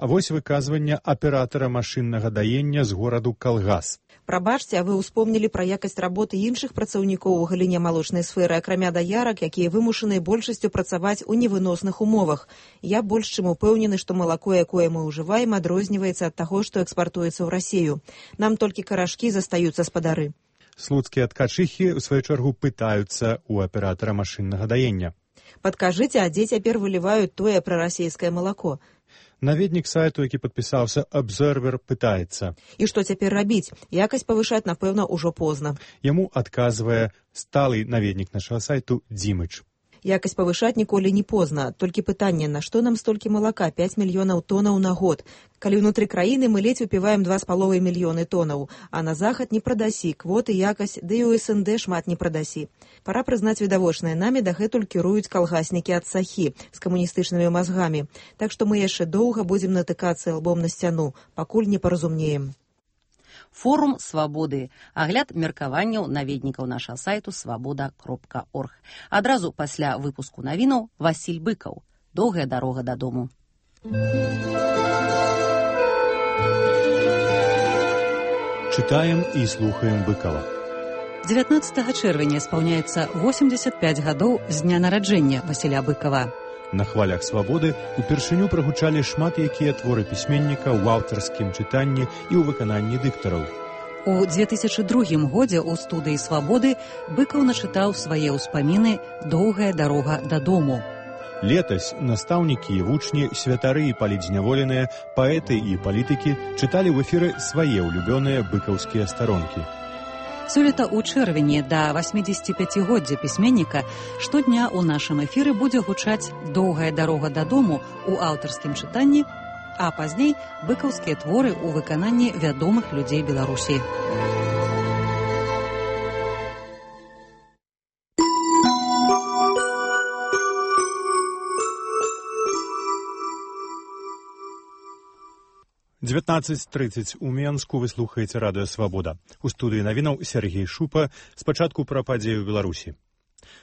А вось выказванне аператара машыннага даення з гораду Калгас.
Прабачце, а вы ўспомнілі пра якасць работы іншых працаўнікоў у галіне малочнай сферы, акрамя даярак, якія вымушаныя большасцю працаваць у невыносных умовах. Я больш чым упэўнены, што малако, якое мы ўжываем, адрозніваецца ад таго, што экспартуецца ў Расію. Нам толькі карашкі застаюцца спадары.
Слуцкія ткачыхі, у сваю чаргу, пытаюцца у аператара машыннага даення.
Падкажыце, а дзе цяпер выліваюць тое пра расійскае малако?
Наведнік сайту, які падпісаўся «Абзервер», пытаецца.
І што цяпер рабіць? Якасць павышаць, напэўна, ужо позна.
Яму адказвае сталы наведнік нашага сайту Дзімыч.
Якасць павышаць ніколі не позна. Толькі пытанне, на што нам столькі малака? пяць мільёнаў тонаў на год. Калі ўнутры краіны мы ледзь выпіваем два з паловай мільёны тонаў, а на захад не прадасі, квоты, якасць, ды і ў эс эн дэ шмат не прадасі. Пара прызнаць відавочнае, намі дагэтуль кіруюць калгаснікі ад сахі з камуністычнымі мазгамі. Так што мы яшчэ доўга будзем натыкацца лбом на сцяну, пакуль не паразумеем.
Форум «Свабоды». Агляд меркаванняў наведнікаў нашага сайту свабода кропка орг. Адразу пасля выпуску навінаў Васіль Быкаў. Доўгая дарога дадому.
Читаем и слухаем Быкова.
дзевятнаццатага чэрвеня спаўняецца восемьдесят пять гадоў з дня нараджэння Васіля Быкова.
На хвалях свабоды упершыню прагучалі шмат якія творы пісьменніка ў аўтарскім чытанні і ў выкананні дыктараў.
У две тысячы другім годзе ў студыі «Свабоды» Быкаў начытаў свае ўспаміны «Доўгая дарога дадому».
Летась настаўнікі і вучні, святары і палітзняволеныя, паэты і палітыкі чыталі ў эфіры свае ўлюбёныя быкаўскія старонкі.
Сёлета ў чэрвені да восьмідзесяціпяцігоддзя пісьменніка штодня ў нашым эфіры будзе гучаць «Доўгая дарога дадому» у аўтарскім чытанні, а пазней быкаўскія творы ў выкананні вядомых людзей Беларусі.
девятнадцать тридцать у Менску вы слухаеце радыё «Свабода». У студыі навінаў Сергей Шупа. Спачатку пра падзею ў Беларусі.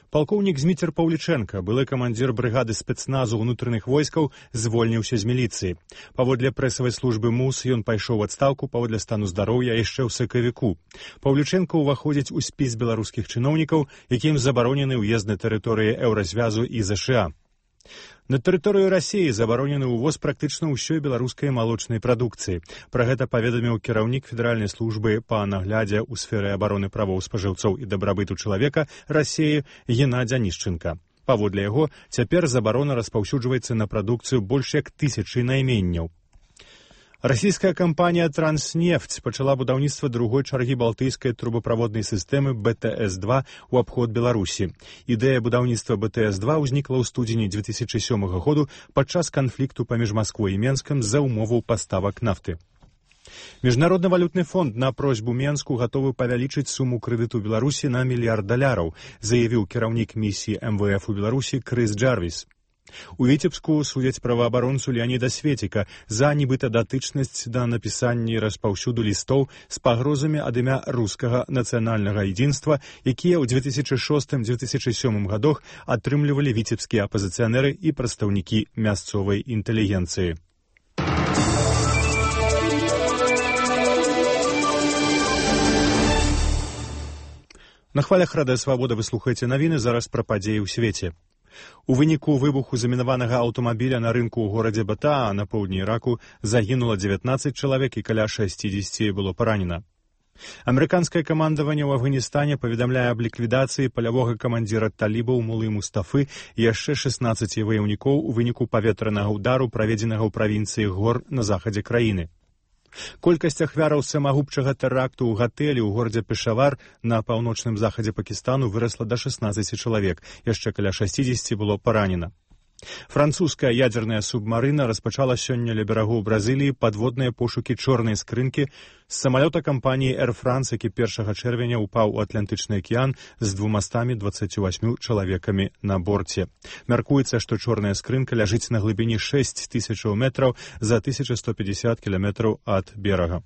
Палкоўнік Зміцер Паўлічэнка, былы камандзір брыгады спецназу ўнутраных войскаў, звольніўся з міліцыі. Паводле прэсавай службы МУС ён пайшоў у адстаўку паводле стану здароўя яшчэ ў сакавіку. Паўлічэнка ўваходзіць у спіс беларускіх чыноўнікаў, якім забаронены ўезд на тэрыторыі Еўразвязу і ЗША. На тэрыторыю Расіі забаронены ўвоз практычна ўсёй беларускай малочнай прадукцыі. Пра гэта паведаміў кіраўнік федэральнай службы па наглядзе ў сферы абароны правоў спажыўцоў і дабрабыту чалавека Расіі Геннадзь Анішченка. Паводле яго, цяпер забарона распаўсюджваецца на прадукцыю больш як тысячы найменняў. Расійская кампанія «Транснефть» пачала будаўніцтва другой чаргі балтыйскай трубаправоднай сістэмы бэ тэ эс два ў абход Беларусі. Ідэя будаўніцтва бэ тэ эс два ўзнікла ў студзені две тысячы сёмага году падчас канфлікту паміж Масквой і Менскам з-за умоваў паставак нафты. Міжнародны валютны фонд на просьбу Менску гатовы павялічыць суму крэдыту Беларусі на мільярд даляраў, заявіў кіраўнік місіі эм вэ эф у Беларусі Крыс Джарвіс. У Віцебску судзяць праваабаронцу Леаніда Светіка за нібыта датычнасць да напісання і распаўсюду лістоў з пагрозамі ад імя рускага нацыянальнага едзінства, якія ў две тысячы шостым - две тысячы сёмым гадах атрымлівалі віцебскія апазіцыянеры і прадстаўнікі мясцовай інтэлігенцыі. На хвалях радыё «Свабода» вы слухаеце навіны, зараз пра падзеі ў свеце. У выніку выбуху замінаванага аўтамабіля на рынку ў горадзе Батаа на поўдні Іраку загінула дзевятнаццаць чалавек і каля шасцідзесяці было паранена. Амерыканскае камандаванне ў Афганістане паведамляе аб ліквідацыі палявога камандзіра талібаў Мулы Мустафы і яшчэ шаснаццаці ваяўнікоў у выніку паветранага ўдару, праведзенага ў правінцыі Гор на захадзе краіны. Колькасць ахвяраў самагубчага тэракту ў гатэлі ў горадзе Пешавар на паўночным захадзе Пакістану вырасла да шаснаццаці чалавек, яшчэ каля шасцідзесяці было паранена. Французская ядзерная субмарына распачала сёння ля берагоў Бразыліі падводныя пошукі чорнай скрынкі з самалёта кампаніі Air France, які першага чэрвеня ўпаў у Атлантычны акіян з двумастамі дваццаццю васьмю чалавекамі на борце. Мяркуецца, што чорная скрынка ляжыць на глыбіні шэсць тысячаў метраў за тысяча сто пятьдесят кіламетраў ад берага.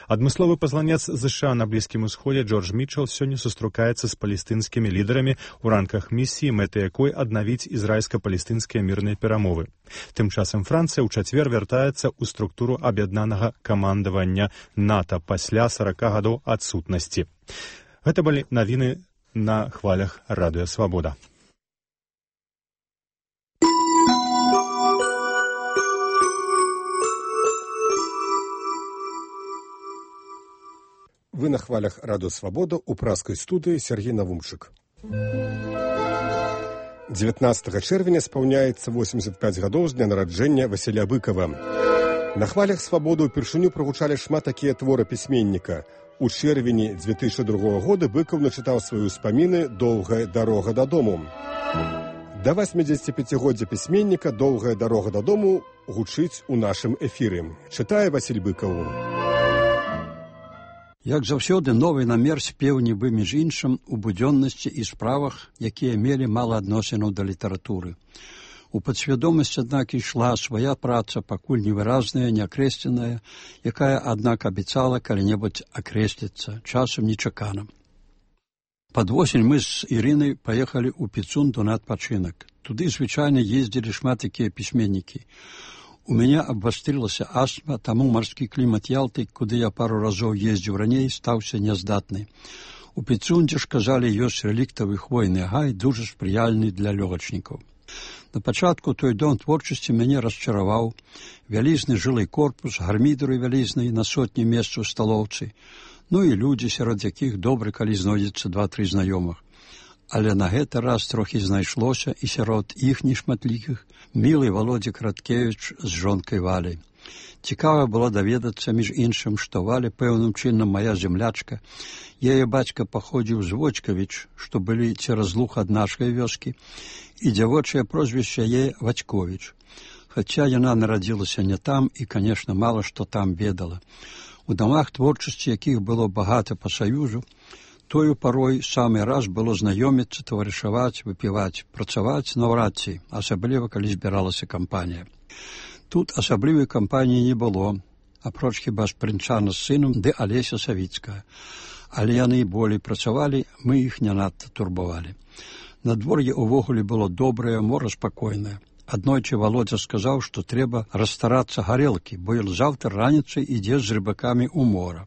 Адмысловы пасланец ЗША на Блізкім Усходзе Джордж Мітчел сёння сустракаецца з палестынскімі лідарамі ў рамках місіі, мэтай якой аднавіць ізраільска-палестынскія мірныя перамовы. Тым часам Францыя ў чацвер вяртаецца ў структуру аб'яднанага камандавання НАТО пасля сарака гадоў адсутнасці. Гэта былі навіны на хвалях радыё «Свабода».
Вы на хвалях радыё «Свабода» у праскай студыі Сергей Навумчык. дзевятнаццатага чэрвеня спаўняецца восемьдесят пять гадоў з дня нараджэння Васіля Быкова. На хвалях «Свабоды» упершыню прагучалі шмат такія творы пісьменніка. У чэрвені две тысячы другога года Быкаў начытаў свае ўспаміны «Доўгая дарога дадому». Да восьмідзесяціпяцігоддзя пісьменніка «Доўгая дарога дадому» гучыць у нашым эфіры. Чытае Васіль Быкаў.
Як заўсёды, новы намер спеў нібы між іншым у будзённасці і справах, якія мелі мала адносінаў да літаратуры. У падсвядомасць, аднак, ішла свая праца, пакуль невыразная, неакрэсленая, якая, аднак, абяцала калі-небудзь акрэсліцца, часам нечакана. Пад восень мы з Ірынай паехалі ў Піцунду на адпачынак. Туды звычайна ездзілі шмат якія пісьменнікі. У мяне абвастрылася астма, таму марскі клімат Ялты, куды я пару разоў ездзіў раней, стаўся няздатны. У Піцунде ж, казалі, ёсць рэліктавы хвойны гай, дужа спрыяльны для лёгачнікаў. На пачатку той дом творчасці мяне расчараваў. Вялізны жылы корпус, гармідары вялізныя на сотні месц у сталоўцы, ну і людзі, сярод якіх добра, калі знойдзецца два-тры знаёмых. Але на гэты раз трохі знайшлося і сярод іх нешматлікіх мілы Володя Краткевіч з жонкай Валяй. Цікава было даведацца, між іншым, што Валя пэўным чынам мая землячка. Яе бацька паходзіў з Вочкавіч, што былі цераз луг ад нашай вёскі, і дзявочае прозвішча яе Вацьковіч. Хаця яна нарадзілася не там і, канешне, мала што там ведала. У дамах творчасці, якіх было багата па саюзу, тою парой самы раз было знаёміцца, таварышаваць, выпіваць, працаваць наўрад ці, асабліва, калі збіралася кампанія. Тут асаблівай кампаніі не было, апроч хіба Шпрынчана з сынам ды Алеся Савіцкая. Але яны і болей працавалі, мы іх не надта турбавалі. Надвор'е увогуле было добрае, мора спакойнае. Аднойчы Володя сказаў, што трэба расстарацца гарэлкі, бо ён заўтра раніцай ідзе з рыбакамі ў мора.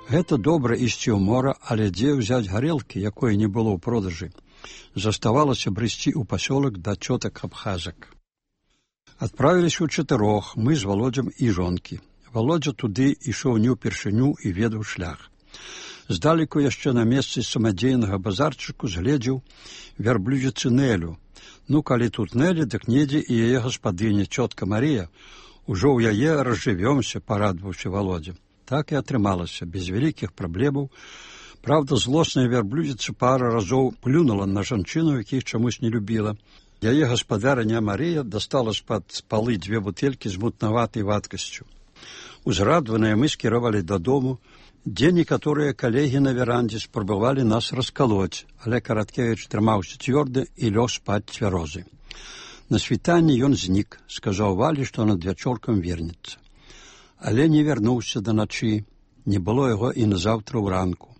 Гэта добра ісці ў мора, але дзе ўзяць гарэлкі, якой не было ў продажы? Заставалася брысці ў пасёлак да цётак абхазак. Адправіліся ў чатырох, мы з Володзям і жонкі. Володзя туды ішоў не ўпершыню і ведаў шлях. Здалеку яшчэ на месцы самадзейнага базарчыку згледзеў вярблюдзіцы Нелю. Ну, калі тут Нелі, дык недзе і яе гаспадыня, цётка Марія. Ужо ў яе разжывёмся, парадваўся Володзя. Так і атрымалася, без вялікіх праблемаў. Правда, злосная вярблюдзіца пара разоў плюнула на жанчыну, якіх чамусь не любіла. Яе гаспадарыня Марія дастала з-пад палы дзве бутэлькі з мутнаватай вадкасцю. Узрадваныя мы скіравалі дадому, дзе некаторыя калегі на верандзе спрабавалі нас раскалоць, але Караткевіч трымаўся цвёрда і лёг спаць цвярозы. На світанні ён знік, сказаў Валі, што над вячоркам вернецца. Але не вярнуўся да начы, не было яго і назаўтра ўранку.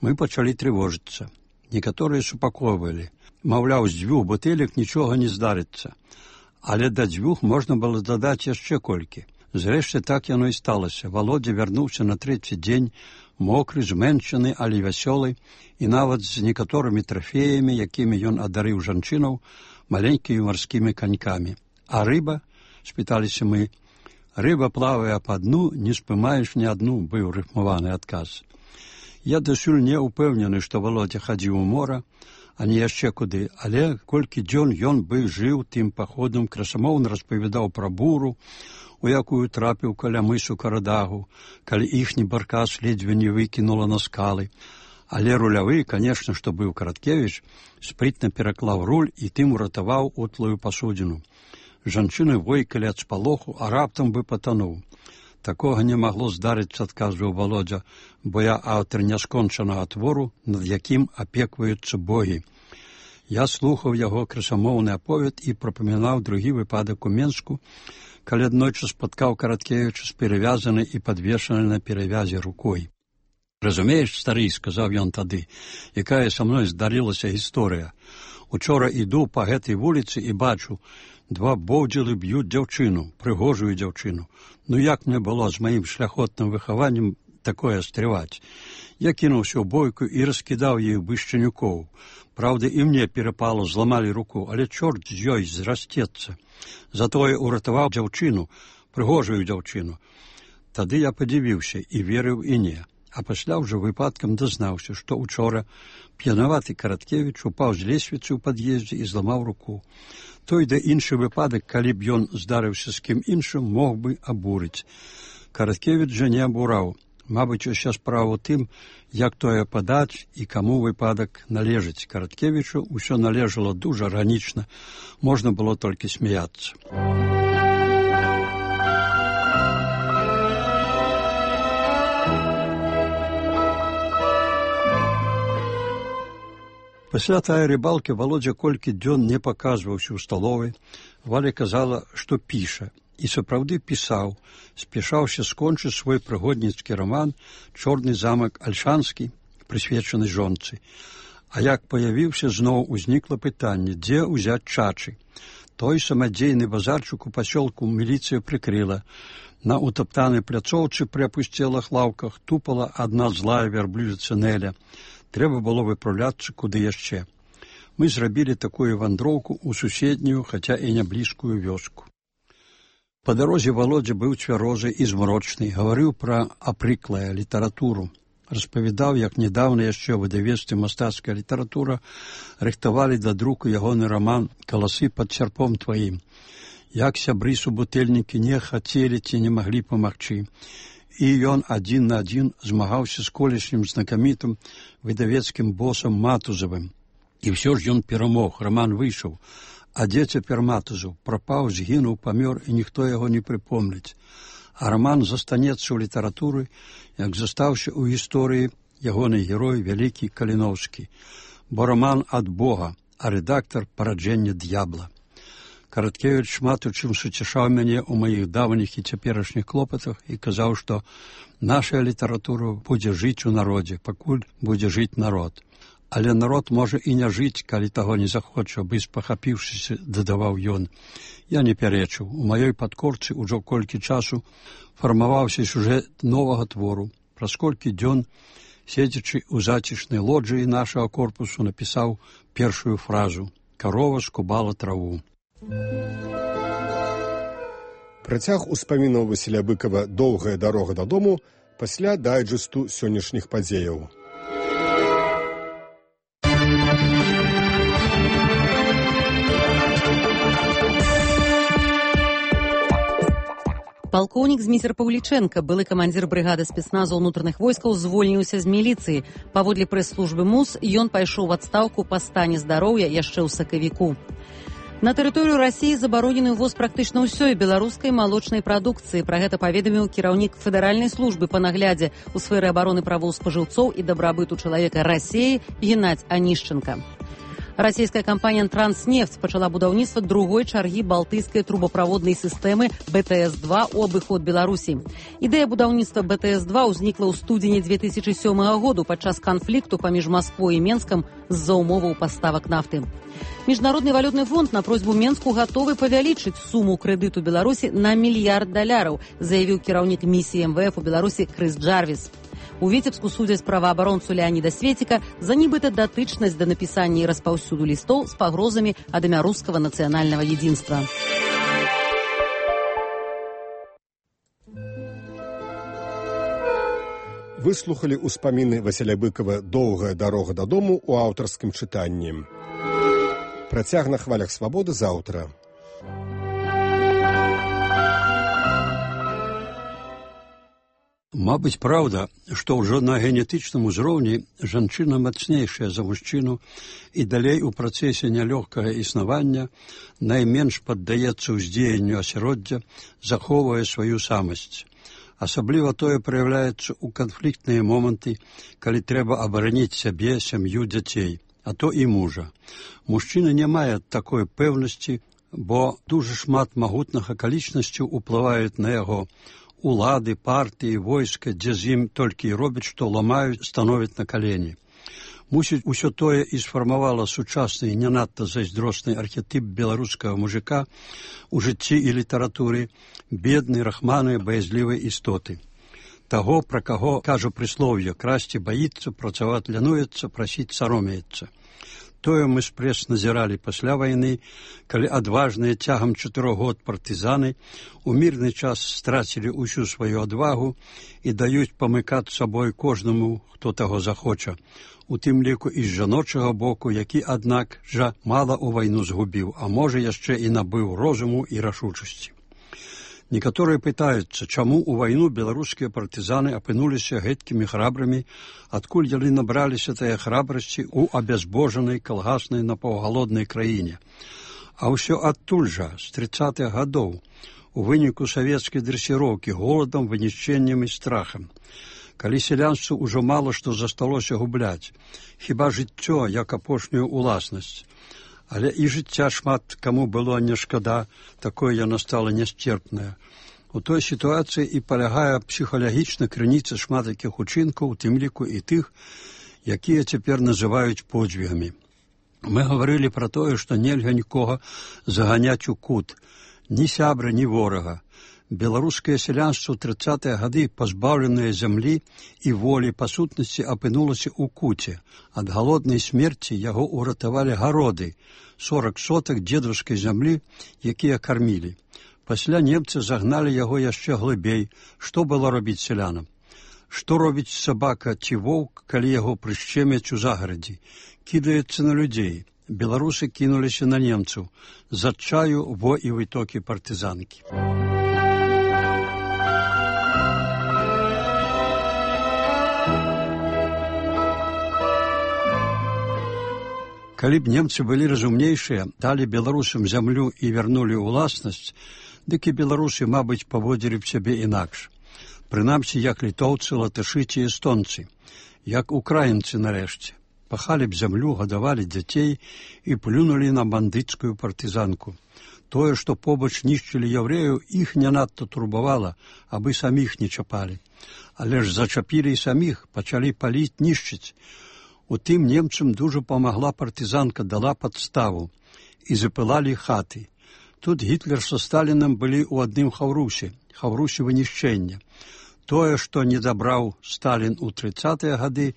Мы пачалі трывожыцца. Некаторыя супакойвалі. Маўляў, з дзвюх бутэлек нічога не здарыцца. Але да дзвюх можна было дадаць яшчэ колькі. Зрэшты, так яно і сталася. Володя вярнуўся на трэці дзень, мокры, зменшаны, але вясёлы, і нават з некаторымі трафеямі, якімі ён адарыў жанчынаў, маленькімі марскімі канькамі. А рыба? Спыталіся мы. Рыба плавае па дну, не спымаеш ні адну, быў рыфмаваны адказ. Я дасюль не ўпэўнены, што Володя хадзіў у мора, а не яшчэ куды, але колькі дзён ён бы жыў тым паходам, красамоўна распавядаў пра буру, у якую трапіў каля мысу Карадагу, калі іхні баркас ледзьве не выкінула на скалы. Але рулявы, канешне, што быў Караткевіч, спрытна пераклаў руль і тым уратаваў утлую пасудзіну. Жанчыны войкалі ад спалоху, а раптам бы патануў. Такога не магло здарыцца, адказваў Володя, бо я аўтар няскончанага твору, над якім апекваюцца богі. Я слухаў яго красамоўны аповед і прапамінаў другі выпадак у Менску, калі аднойчы спаткаў Караткевіча з перавязанай і падвешанай на перавязе рукой. «Разумееш, стары, — сказаў ён тады, — якая са мной здарылася гісторыя. Учора іду па гэтай вуліцы і бачу, два боўдзілы б'юць дзяўчыну, прыгожую дзяўчыну. Ну як мне было з маім шляхотным выхаваннем такое стрываць? Я кінуўся ў бойку і раскідаў іх бышчанюкоў. Праўда, і мне перапало, зламалі руку, але чорт з ёй зрасцецца. Затое уратаваў дзяўчыну, прыгожую дзяўчыну. Тады я падзівіўся і верыў і не. А пасля ўжо выпадкам дазнаўся, што учора п'янаваты Караткевіч упаў з лесвіцы ў пад'ездзе і зламаў руку. Той да іншы выпадак, калі б ён здарыўся з кім іншым, мог бы абурыць. Караткевіч жа не абураў. Мабыць, уся справа ў тым, як тое падаць і каму выпадак належыць. Караткевічу ўсё належало дужа ранічна, можна было толькі смяяцца. Пасля тая рыбалкі Володя колькі дзён не паказваўся ў сталовай. Валя казала, што піша. І сапраўды пісаў, спяшаўся скончыць свой прыгодніцкі раман «Чорны замак Альшанскі», прысвечаны жонцы. А як паявіўся, зноў узнікла пытанне, дзе ўзяць чачы. Той самадзейны базарчык у пасёлку міліцыя прыкрыла. На утаптанай пляцоўцы пры апусцелых лаўках тупала адна злая вярблюдзіца Нэля. Трэба было выпраўляцца куды яшчэ. Мы зрабілі такую вандроўку ў суседнюю, хаця і не блізкую вёску. Па дарозе Володя быў цвярозы і змрочны, гаварыў пра апрыклая літаратуру. Распавядаў, як нядаўна яшчэ ў выдавецтве «Мастацкая літаратура» рыхтавалі да друку ягоны раман «Каласы пад сярпом тваім». Як сябры-субутэльнікі не хацелі ці не маглі памагчы. І ён адзін на адзін змагаўся з колішнім знакамітым выдавецкім босам Матузавым. І ўсё ж ён перамог, раман выйшаў. А дзе цяпер Матузаў? Прапаў, згінуў, памёр, і ніхто яго не прыпомніць. А раман застанецца ў літаратуры, як застаўся ў гісторыі ягоны герой вялікі Каліноўскі. Бо раман ад Бога, а рэдактар параджэння д'ябла. Караткевіч шмат у чым суцяшаў мяне ў маіх даўніх і цяперашніх клопатах і казаў, што наша літаратура будзе жыць у народзе, пакуль будзе жыць народ. Але народ можа і не жыць, калі таго не захоча, бы спахапіўшыся, дадаваў ён. Я не пярэчыў. У маёй падкорцы ўжо колькі часу фармаваўся сюжэт новага твору. Праз колькі дзён, седзячы ў зацішнай лоджыі нашага корпусу, напісаў першую фразу «Карова скубала траву».
Працяг успамінаў Васіля Быкава «Доўгая дарога дадому» пасля дайджэсту сённяшніх падзеяў.
Палкоўнік Зміцер Паўлічэнка, былы камандзір брыгады спецназу ўнутраных войскаў, звольніўся з міліцыі. Паводле прэс-службы МУС, ён пайшоў у адстаўку па стане здароўя яшчэ ў сакавіку. На тэрыторыю Расіі забаронены ўвоз практычна ўсёй беларускай малочнай прадукцыі. Пра гэта паведаміў кіраўнік Федэральнай службы па наглядзе ў сферы абароны правоў спажыўцоў і дабрабыту чалавека Расіі Геннадзь Анішченка. Расійская кампанія «Транснефть» пачала будаўніцтва другой чаргі балтыйскай трубаправоднай сістэмы бэ тэ эс два ў абыход Беларусі. Ідэя будаўніцтва бэ тэ эс два ўзнікла ў студзені дзве тысячы сёмага году падчас канфлікту паміж Масквой і Менскам з-за умоваў паставак нафты. Міжнародны валютны фонд на просьбу Менску гатовы павялічыць суму крэдыту Беларусі на мільярд даляраў, заявіў кіраўнік місіі эм вэ эф у Беларусі Крыс Джарвіс. У Віцебску судзяць праваабаронцу Леаніда Светіка за нібыта датычнасць да напісання і распаўсюду лістоў з пагрозамі ад імя рускага нацыянальнага единства.
Выслухалі ўспаміны Васіля Быкава «Доўгая дарога дадому» у аўтарскім чытанні. Працяг на хвалях свабоды заўтра.
Мабыць, праўда, што ўжо на генетычным узроўні жанчына мацнейшая за мужчыну і далей у працэсе нялёгкага існавання найменш паддаецца ўздзеянню асяроддзя, захоўвае сваю самасць. Асабліва тое праяўляецца ў канфліктныя моманты, калі трэба абараніць сябе, сям'ю, дзяцей, а то і мужа. Мужчына не мае такой пэўнасці, бо дужа шмат магутных акалічнасцяў уплываюць на яго. Улады, партыі, войска, дзе з ім толькі і робяць, што ламаюць, становяць на калені. Мусіць, усё тое і сфармавала сучасны і не надта зайздросны архетып беларускага мужика у жыцці і літаратуры, беднай, рахманай, баязлівай істоты. Таго, пра каго кажа прыслоўе, красці баіцца, працаваць лянуецца, прасіць саромеецца. Тое мы спрэс назіралі пасля вайны, калі адважныя цягам чатырох год партызаны у мірны час страцілі ўсю сваю адвагу і даюць памыкаць сабой кожнаму, хто таго захоча, у тым ліку і з жаночага боку, які, аднак, жа мала ў вайну згубіў, а можа яшчэ і набыў розуму і рашучасці. Некаторыя пытаюцца, чаму ў вайну беларускія партызаны апынуліся гэткімі храбрымі, адкуль яны набраліся тая храбрасці ў абязбожанай, калгаснай, напаўгалоднай краіне. А ўсё адтуль жа, з трыццатых гадоў, у выніку савецкай дрэсіроўкі, голадам, вынішчэннем і страхам. Калі сялянству ўжо мала што засталося губляць, хіба жыццё, як апошнюю уласнасць. Але і жыцця шмат каму было не шкада, такое яно стала нясцерпнае. У той сітуацыі і палягае псіхалагічна крыніца шмат якіх учынкаў, у тым ліку і тых, якія цяпер называюць подзвігамі. Мы гаварылі пра тое, што нельга нікога заганяць у кут, ні сябра, ні ворага. Беларускае сялянства ў трыццатыя гады, пазбаўленае зямлі і волі, па сутнасці апынулася ў куце. Ад галоднай смерці яго ўратавалі гароды, сорак сотак дзедаўскай зямлі, якія кармілі. Пасля немцы загналі яго яшчэ глыбей. Што было робіць сялянам? Што робіць сабака ці воўк, калі яго прышчемяць у загарадзі? Кідаецца на людзей. Беларусы кінуліся на немцаў. З адчаю во і вытокі партызанкі. Калі б немцы былі разумнейшыя, далі беларусам зямлю і вярнулі ўласнасць, дык і беларусы, мабыць, паводзілі б сябе інакш. Прынамсі, як літоўцы, латышы ці эстонцы, як украінцы нарэшце. Пахалі б зямлю, гадавалі дзяцей і плюнулі на бандыцкую партызанку. Тое, што побач нішчылі яўрэяў, іх не надта турбавала, абы саміх не чапалі. Але ж зачапілі і саміх, пачалі паліць, нішчыць. У тым немцам дужа памагла партызанка, дала падставу, і запылалі хаты. Тут Гітлер са Сталінам былі ў адным хаўрусе, хаўрусе вынішчэння. Тое, што не дабраў Сталін у трыццатыя гады,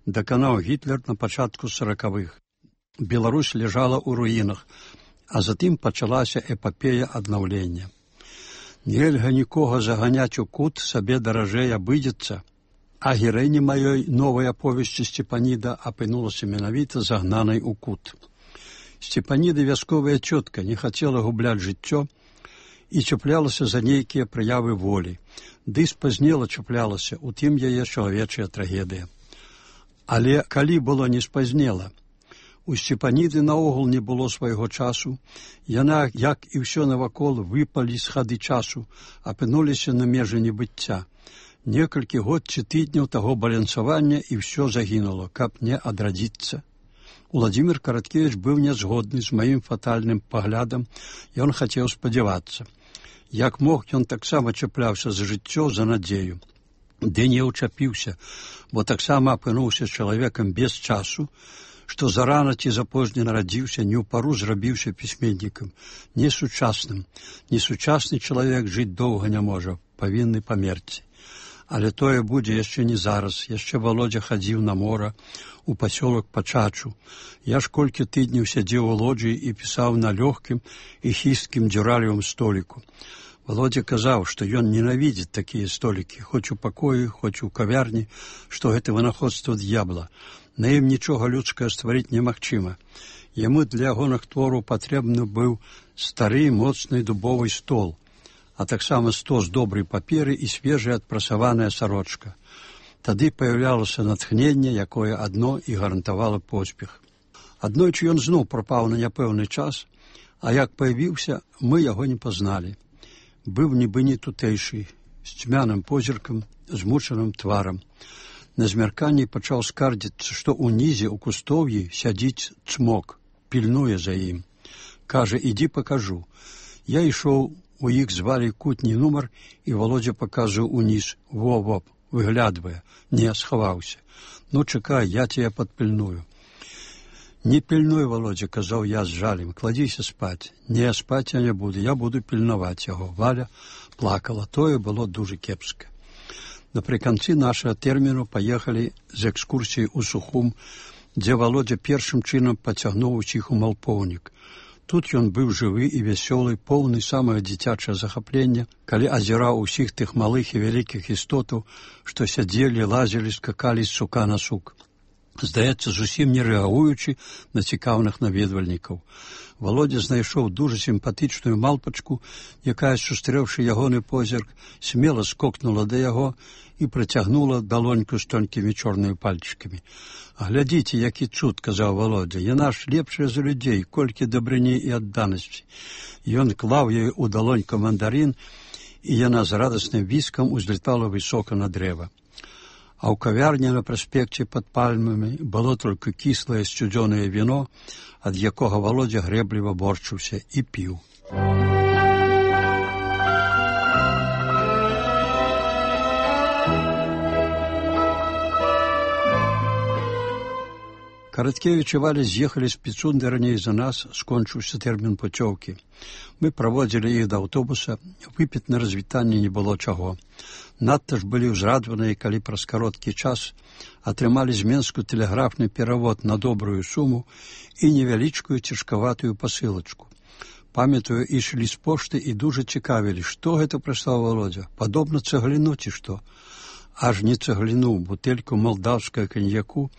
даканаў Гітлер на пачатку саракавых. Беларусь ляжала ў руінах, а затым пачалася эпапея аднаўлення. Нельга нікога заганяць у кут, сабе даражэй абыдзецца. А гераіня маёй новай аповесці Сцепаніда апынулася менавіта загнанай у кут. Сцепаніда, вясковая цётка, не хацела губляць жыццё і чаплялася за нейкія праявы волі. Ды спазнела чаплялася, у тым яе чалавечая трагедыя. Але калі было не спазнела, у Сцепаніды наогул не было свайго часу, яна, як і ўсё навакол, выпалі з хады часу, апынуліся на межы небыцця. Некалькі год ці тыдняў таго балансавання і ўсё загінула, каб не адрадзіцца. Уладзімір Караткевіч быў нязгодны з маім фатальным паглядам, ён хацеў спадзявацца. Як мог, ён таксама чапляўся за жыццё, за надзею. Ды не ўчапіўся, бо таксама апынуўся чалавекам без часу, што зарана ці запозне нарадзіўся, не ў пару зрабіўся пісьменнікам, несучасным. Несучасны чалавек жыць доўга не можа, павінны памерці. Але тое будзе яшчэ не зараз. Яшчэ Володя хадзіў на мора, у пасёлак Пачачу. Я ж колькі тыдняў сядзеў у лоджыі і пісаў на лёгкім і хісткім дзюралевым століку. Володя казаў, што ён ненавідзіць такія столікі, хоць у пакоі, хоць у кавярні, што гэта вынаходства д'ябла. На ім нічога людскае стварыць немагчыма. Яму для ягоных твораў патрэбны быў стары, моцны дубовы стол, а таксама стос добрай паперы і свежая адпрасаваная сарочка. Тады паяўлялася натхненне, якое адно і гарантавала поспех. Аднойчы ён зноў прапаў на няпэўны час, а як паявіўся, мы яго не пазналі. Быў нібы не тутэйшы, з цьмяным позіркам, змучаным тварам. На змярканні пачаў скардзіцца, што ўнізе ў кустоўі сядзіць цмок, пільнуе за ім. Кажа, ідзі пакажу. Я ішоў, у іх звалі кутні нумар, і Володя паказваў уніз. Во-воп, выглядвае. Не, схаваўся. Ну, чакай, я цябе падпільную. Не пільнуй, Володя, казаў я з жалем, кладзіся спаць. Не, спаць я не буду, я буду пільнаваць яго. Валя плакала, тое было дужа кепска. Напрыканцы нашага тэрміну паехалі з экскурсіяй у Сухум, дзе Володя першым чынам пацягнуў усіх у Малпоўнік. Тут ён быў жывы і вясёлы, поўны самае дзіцячае захаплення, калі азіраў усіх тых малых і вялікіх істотаў, што сядзелі, лазілі, скакалі з сука на сук. Здаецца, зусім не рэагуючы на цікаўных наведвальнікаў. Володя знайшоў дужа сімпатычную малпачку, якая, сустрэўшы ягоны позірк, смела скокнула да яго і працягнула далоньку з тонкімі чорнымі пальчыкамі. «Глядзіце, які цуд», – казаў Володя, – «яна ж лепшая за людзей, колькі дабрыні і адданасці». Ён клаў ёй у далоньку мандарин, і яна з радасным віскам узлетала высока на дрэва. А ў кавярні на праспекце пад пальмамі было толькі кіслае сцюдзёнае віно, ад якога Володя грэбліва борчыўся і піў. Караткевич и Валя з'ехали з Піцунды раней за нас, скончыўся тэрмін пуцёўкі. Мы праводзілі іх да аўтобуса, выпіць на развітанне не было чаго. Надта ж былі ўзрадваныя, калі праз кароткі час атрымалі з Менску тэлеграфны перавод на добрую суму і невялічкую цяжкаватую пасылачку. Памятаю, ішлі з пошты і дужа цікавілі, што гэта прыслаў Володя, падобна цэгліну ці што. Аж не цэгліну, бутэльку малдаўскага каньяку,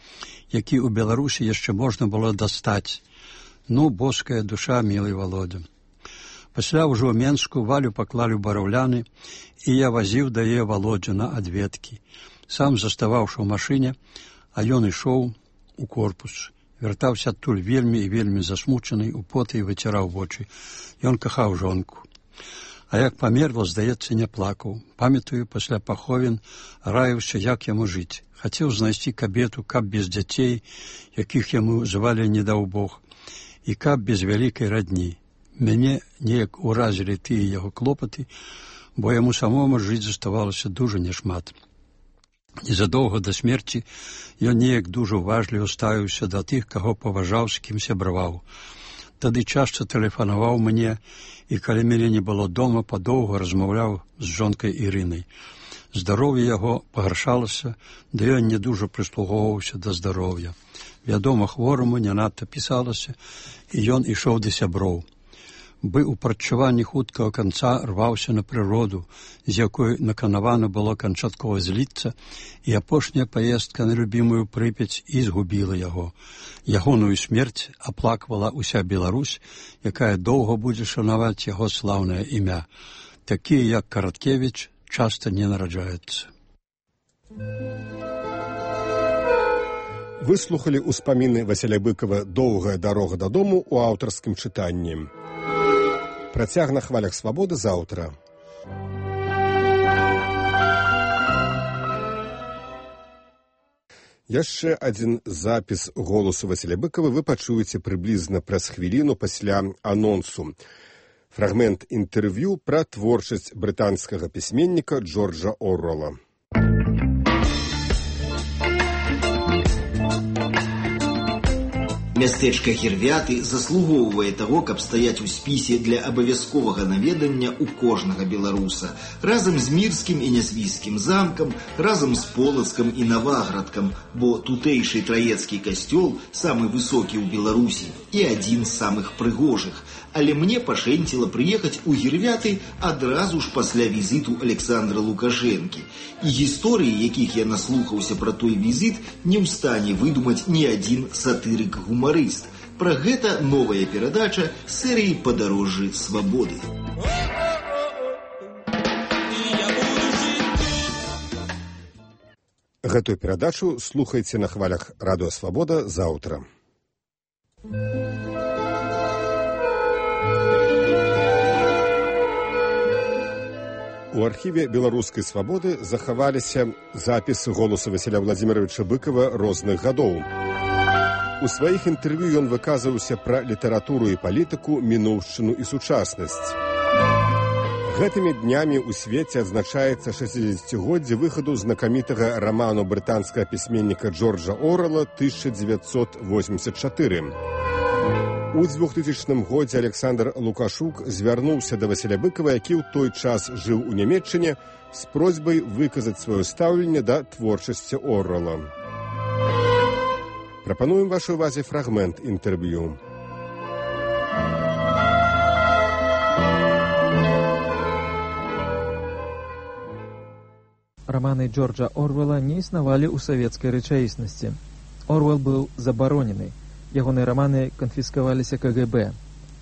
які ў Беларусі яшчэ можна было дастаць. Ну, боская душа, мілый Володя. Пасля ўжо ў Менску Валю паклалі ў бараўляны, і я вазіў да яе Володю на адведкі. Сам заставаўшы ў машыне, а ён ішоў у корпус. Вяртаўся адтуль вельмі і вельмі засмучаны, у поты і выціраў вочы. Ён кахаў жонку. А як памерла, здаецца, не плакаў. Памятаю, пасля паховін раіўся, як яму жыць. Хацеў знайсці кабету, каб без дзяцей, якіх яму звалі не даў Бог, і каб без вялікай радні. Мяне неяк уразілі тыя яго клопаты, бо яму самому жыць заставалася дужа няшмат. Незадоўга да смерці ён неяк дужа уважліва ставіўся да тых, каго паважаў, з кім сябраваў. Тады часта тэлефанаваў мне, і калі мяне не было дома, падоўга размаўляў з жонкай Ірынай. Здароўе яго пагаршалася, да ён не дужа прыслугоўваўся да здароўя. Вядома, хвораму не надта пісалася, і ён ішоў да сяброў. Бы ў прадчуванні хуткага канца рваўся на прыроду, з якой наканавана было канчаткова зліцца, і апошняя паездка на любімую Прыпяць і згубіла яго. Ягоную смерць аплаквала ўся Беларусь, якая доўга будзе шанаваць яго слаўнае імя. Такія, як Караткевич, часта не нараджаюцца.
Выслухалі ўспаміны Васіля Быкова «Доўгая дарога дадому» у аўтарскім чытанні. Працяг на хвалях свабоды заўтра. Яшчэ адзін запіс голасу Васіля Быкова вы пачуеце прыблізна праз хвіліну пасля анонсу. Фрагмент інтэрв'ю пра творчасць брытанскага пісьменніка Джорджа Оруэлла.
Мястэчка Гірвяты заслугоўвае таго, каб стаяць у спісе для абавязковага наведання ў кожнага беларуса, разам з мірскім і нязвійскім замкам, разам з Полацкам і Наваградкам, бо тутэйшы траецкі касцёл самы высокі ў Беларусі і адзін з самых прыгожых. Але мне пашэнціла прыехаць у Гірвяты адразу ж пасля візіту Александра Лукашэнкі. І гісторыі, якіх я наслухаўся пра той візіт, не ў стане выдумаць ні адзін сатырык-гумарыст. Пра гэта новая перадача серыі «Падарожжы свабоды».
Гэтую перадачу слухайце на хвалях Радыё Свабода заўтра. У архіве беларускай свабоды захаваліся запісы голасу Васіля Владзіміровича Быкова розных гадоў. У сваіх інтэрв'ю ён выказваўся пра літаратуру і палітыку, мінуўшчыну і сучаснасць. Гэтымі днямі ў свеце адзначаецца шэсцідзесяцігоддзе выхаду знакамітага раману брытанскага пісьменніка Джорджа Оруэлла тысяча девятьсот восемьдесят четыре. У двухтысячным годзе Александр Лукашук звярнуўся да Васіля Быкова, які ў той час жыў у Нямецчыне, з просьбай выказаць сваё стаўленне да творчасці Оруэлла. Прапануем вашай увазе фрагмент інтэрв'ю.
Романы Джорджа Оруэлла не існавалі ў савецкай рэчаіснасці. Оруэлл быў забаронены. Ягоныя раманы канфіскаваліся ка гэ бэ.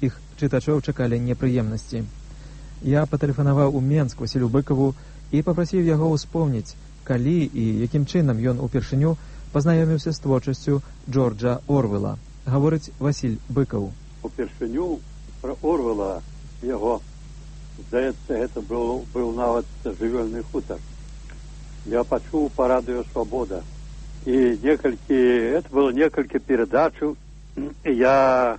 Іх чытачоў чакалі непрыемнасці. Я патэлефанаваў у Менск Васілю Быкаву і папрасіў яго ўспомніць, калі і якім чынам ён упершыню пазнаёміўся з творчасцю Джорджа Оруэлла. Гаворыць Васіль Быкаў.
Упершыню пра Оруэлла яго, здаецца, гэта быў, быў нават жывёльны хутар. Я пачуў па радыё «Свабода». І некалькі, это было некалькі перадачаў, я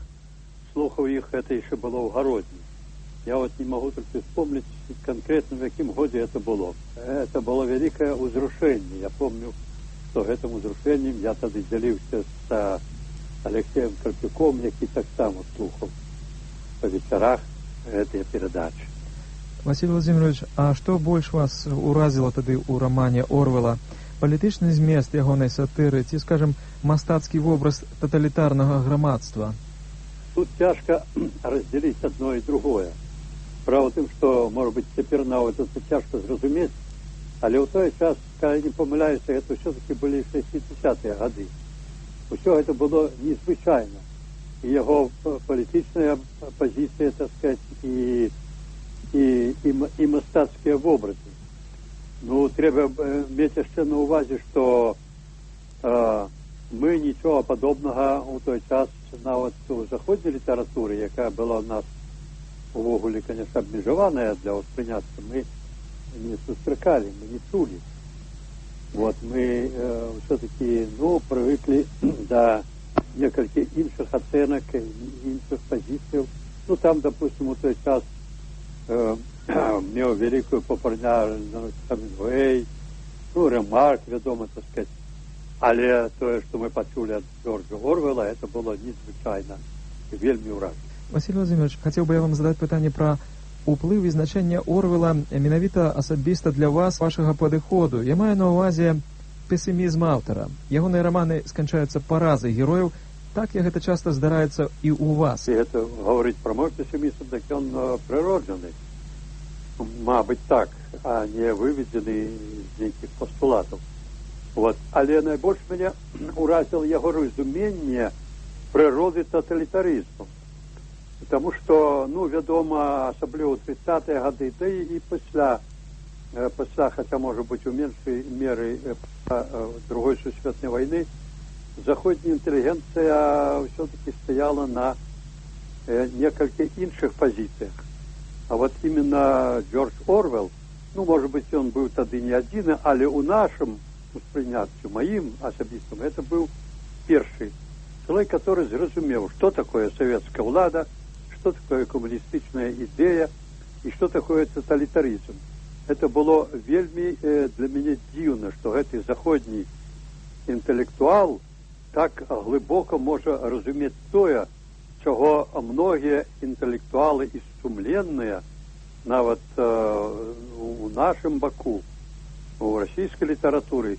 слухаў іх, это яшчэ было ў Гародні. Я вот не могу только вспомнить конкретно, в якім годзе это было. Это было вялікае ўзрушэнне. Я помню, што гэтым узрушэннем я тады дзяліўся з Алексеем Карпюком, які так само слухав по вечерах этой передачи.
Василий Владимирович, а што больш вас уразіла тады ў рамане Орвела? Палітычны змест ягонай сатыры ці, скажем, мастацкі вобраз тоталітарнага грамадства?
Тут цяжка раздзяліць одно і другое. Справа тым, што, можа быць, цяпер нават это цяжка зразумець, але ў той час, калі не памыляюся, это ўсё-таки былі шэсцідзесятыя гады. Усё гэта было незвычайна. І яго палітычная пазіцыя, так сказать, і, і, і, і мастацкія вобразы. Ну, трэба мець яшчэ на ўвазе, што э, мы нічога падобнага ў той час нават у заходняй літаратуры, якая была ў нас увогуле, конечно, абмежаваная для ўспрыняцтва, мы не сустракалі, мы не чулі. Вот, мы э, все-таки, ну, привыкли до некальких інших оценок, інших позиций. Ну, там, допустим, у той час э, меў великую популярность Хемінгвей, ну, Ремарк, вядома, так сказать. Але тое, что мы почули от Джорджа Орвела, это было незвычайно и вельмі уражна.
Василий Владимирович, хотел бы я вам задать питание про уплыв і значэнне Орвела менавіта асабіста для вас, вашага падыходу. Я маю на ўвазе песімізм аўтара. Ягоныя раманы сканчаюцца паразай герояў. Так як гэта часта здараецца і ў вас.
І гэта гаварыць пра мой песімізм, так ён прыроджаны. Мабыць так, а не выведзены з нейкіх пастулатаў. Вот. Але найбольш мяне уразіла яго разуменне прыроды тоталітарызму. Потому что, ну, вядома, асабліва ў тридцатыя гады, да і пасля, пасля, хотя, может быть, у меншай меры другой сусветнай войны, заходняя интеллигенция все-таки стояла на некальких іншых позициях. А вот именно Джордж Орвел, ну, может быть, он был тады не один, але у нашем успрыняццю, моим асабістым, это был першы человек, который зразумеў, что такое советская влада, что такое коммунистичная идея и что такое тоталитаризм. Это было вельми э, для меня дивно, что этот заходний интеллектуал так глибоко може разуметь тое, чего многие интеллектуалы и сумленные нават э, у нашем баку, у российской литературы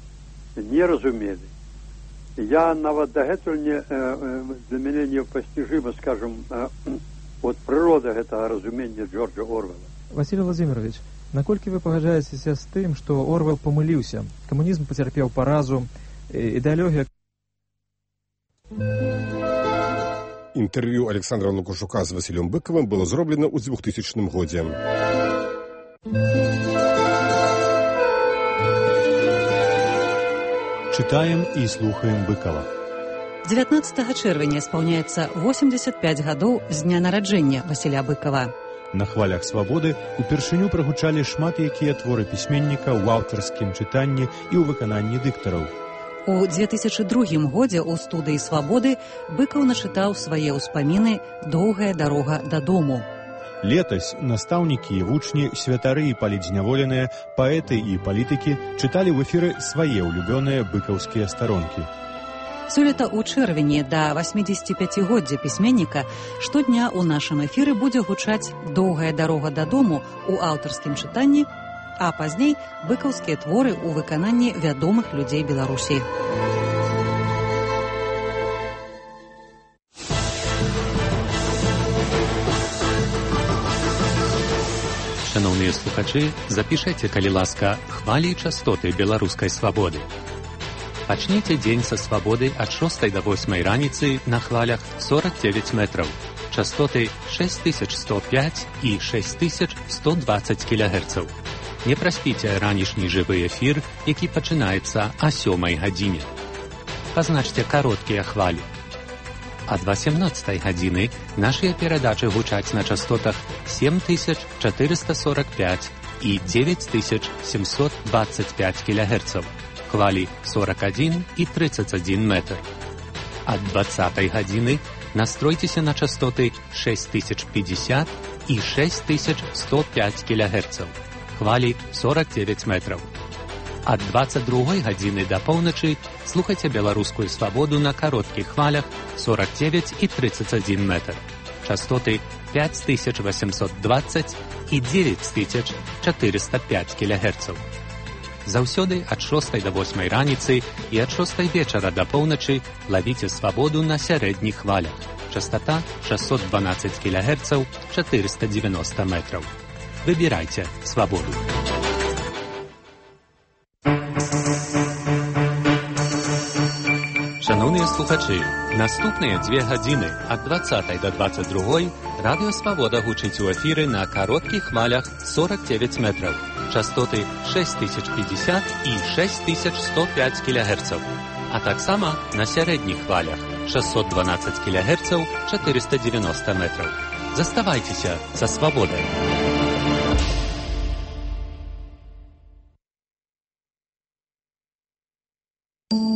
не разумели. Я нават дагэтуль не, э, для меня непостижимо, скажем, э, от природа этого разумения Джорджа Орвела.
Василий Владимирович, наколькі вы пагаджаецеся з тым, што Орвел памыліўся? Камунізм пацярпеў паразу, ідэалогія.
Інтэрв'ю Александра Лукашука з Васілем Быкавым было зроблена ў двухтысячным годзе.
Читаем і слухаем Быкова.
дзевятнаццатага чэрвеня спаўняецца восемьдесят пять гадоў з дня нараджэння Васіля Быкава.
На хвалях свабоды упершыню прагучалі шмат якія творы пісьменніка ў аўтарскім чытанні і ў выкананні дыктараў.
У две тысячы другім годзе ў студыі «Свабоды» Быкаў начытаў свае ўспаміны «Доўгая дарога дадому».
Летась настаўнікі і вучні, святары і палітзняволеныя, паэты і палітыкі чыталі ў эфіры свае ўлюбёныя быкаўскія старонкі.
Сёлета ў чэрвені да восьмідзесяціпяцігоддзя пісьменніка штодня ў нашым эфіры будзе гучаць «Доўгая дарога дадому» у аўтарскім чытанні, а пазней быкаўскія творы ў выкананні вядомых людзей Беларусі.
Шановныя слухачы, запішайце, калі ласка, хвалі і частоты беларускай свабоды. Пачніце дзень са свабоды ад шостай да восьмай раніцы на хвалях сорок девять метраў, частоты шесть тысяч сто пять і шесть тысяч сто двадцать кілогерцаў. Не праспіце ранішні жывы эфір, які пачынаецца а сёмай гадзіне. Пазначце кароткія хвалі. Ад васемнаццатай гадзіны нашыя перадачы гучаць на частотах семь тысяч четыреста сорок пять і девять тысяч семьсот двадцать пять кілогерцаў. Хвалі сорок один і тридцать один метр. Ад двадцатай гадзіны настройцеся на частоты шесть тысяч пятьдесят і шесть тысяч сто пять кілогерцаў. Хвалі сорок девять метров. Ад дваццаць другой гадзіны да поўначы слухайце беларускую свабоду на кароткіх хвалях сорок девять и тридцать один метр. Частоты пять тысяч восемьсот двадцать и девять тысяч четыреста пять килогерцаў. Заўсёды ад шостай да восьмай раніцы і ад шостай вечара да поўначы лавіце свабоду на сярэдніх хвалях. Частота шестьсот двенадцать килогерцаў, четыреста девяносто метров. Выбирайте свободу. Шановні слухачі, наступні дві години ад двадцятой до двадцять другой Радіо Свобода гучить у ефірі на коротких хвалях сорок девять метров, частоти шесть тысяч пятьдесят и шесть тысяч сто пять килогерцев, а так само на середніх хвалях шестьсот двенадцать килогерцев, четыреста девяносто метров. Заставайтеся со свободой.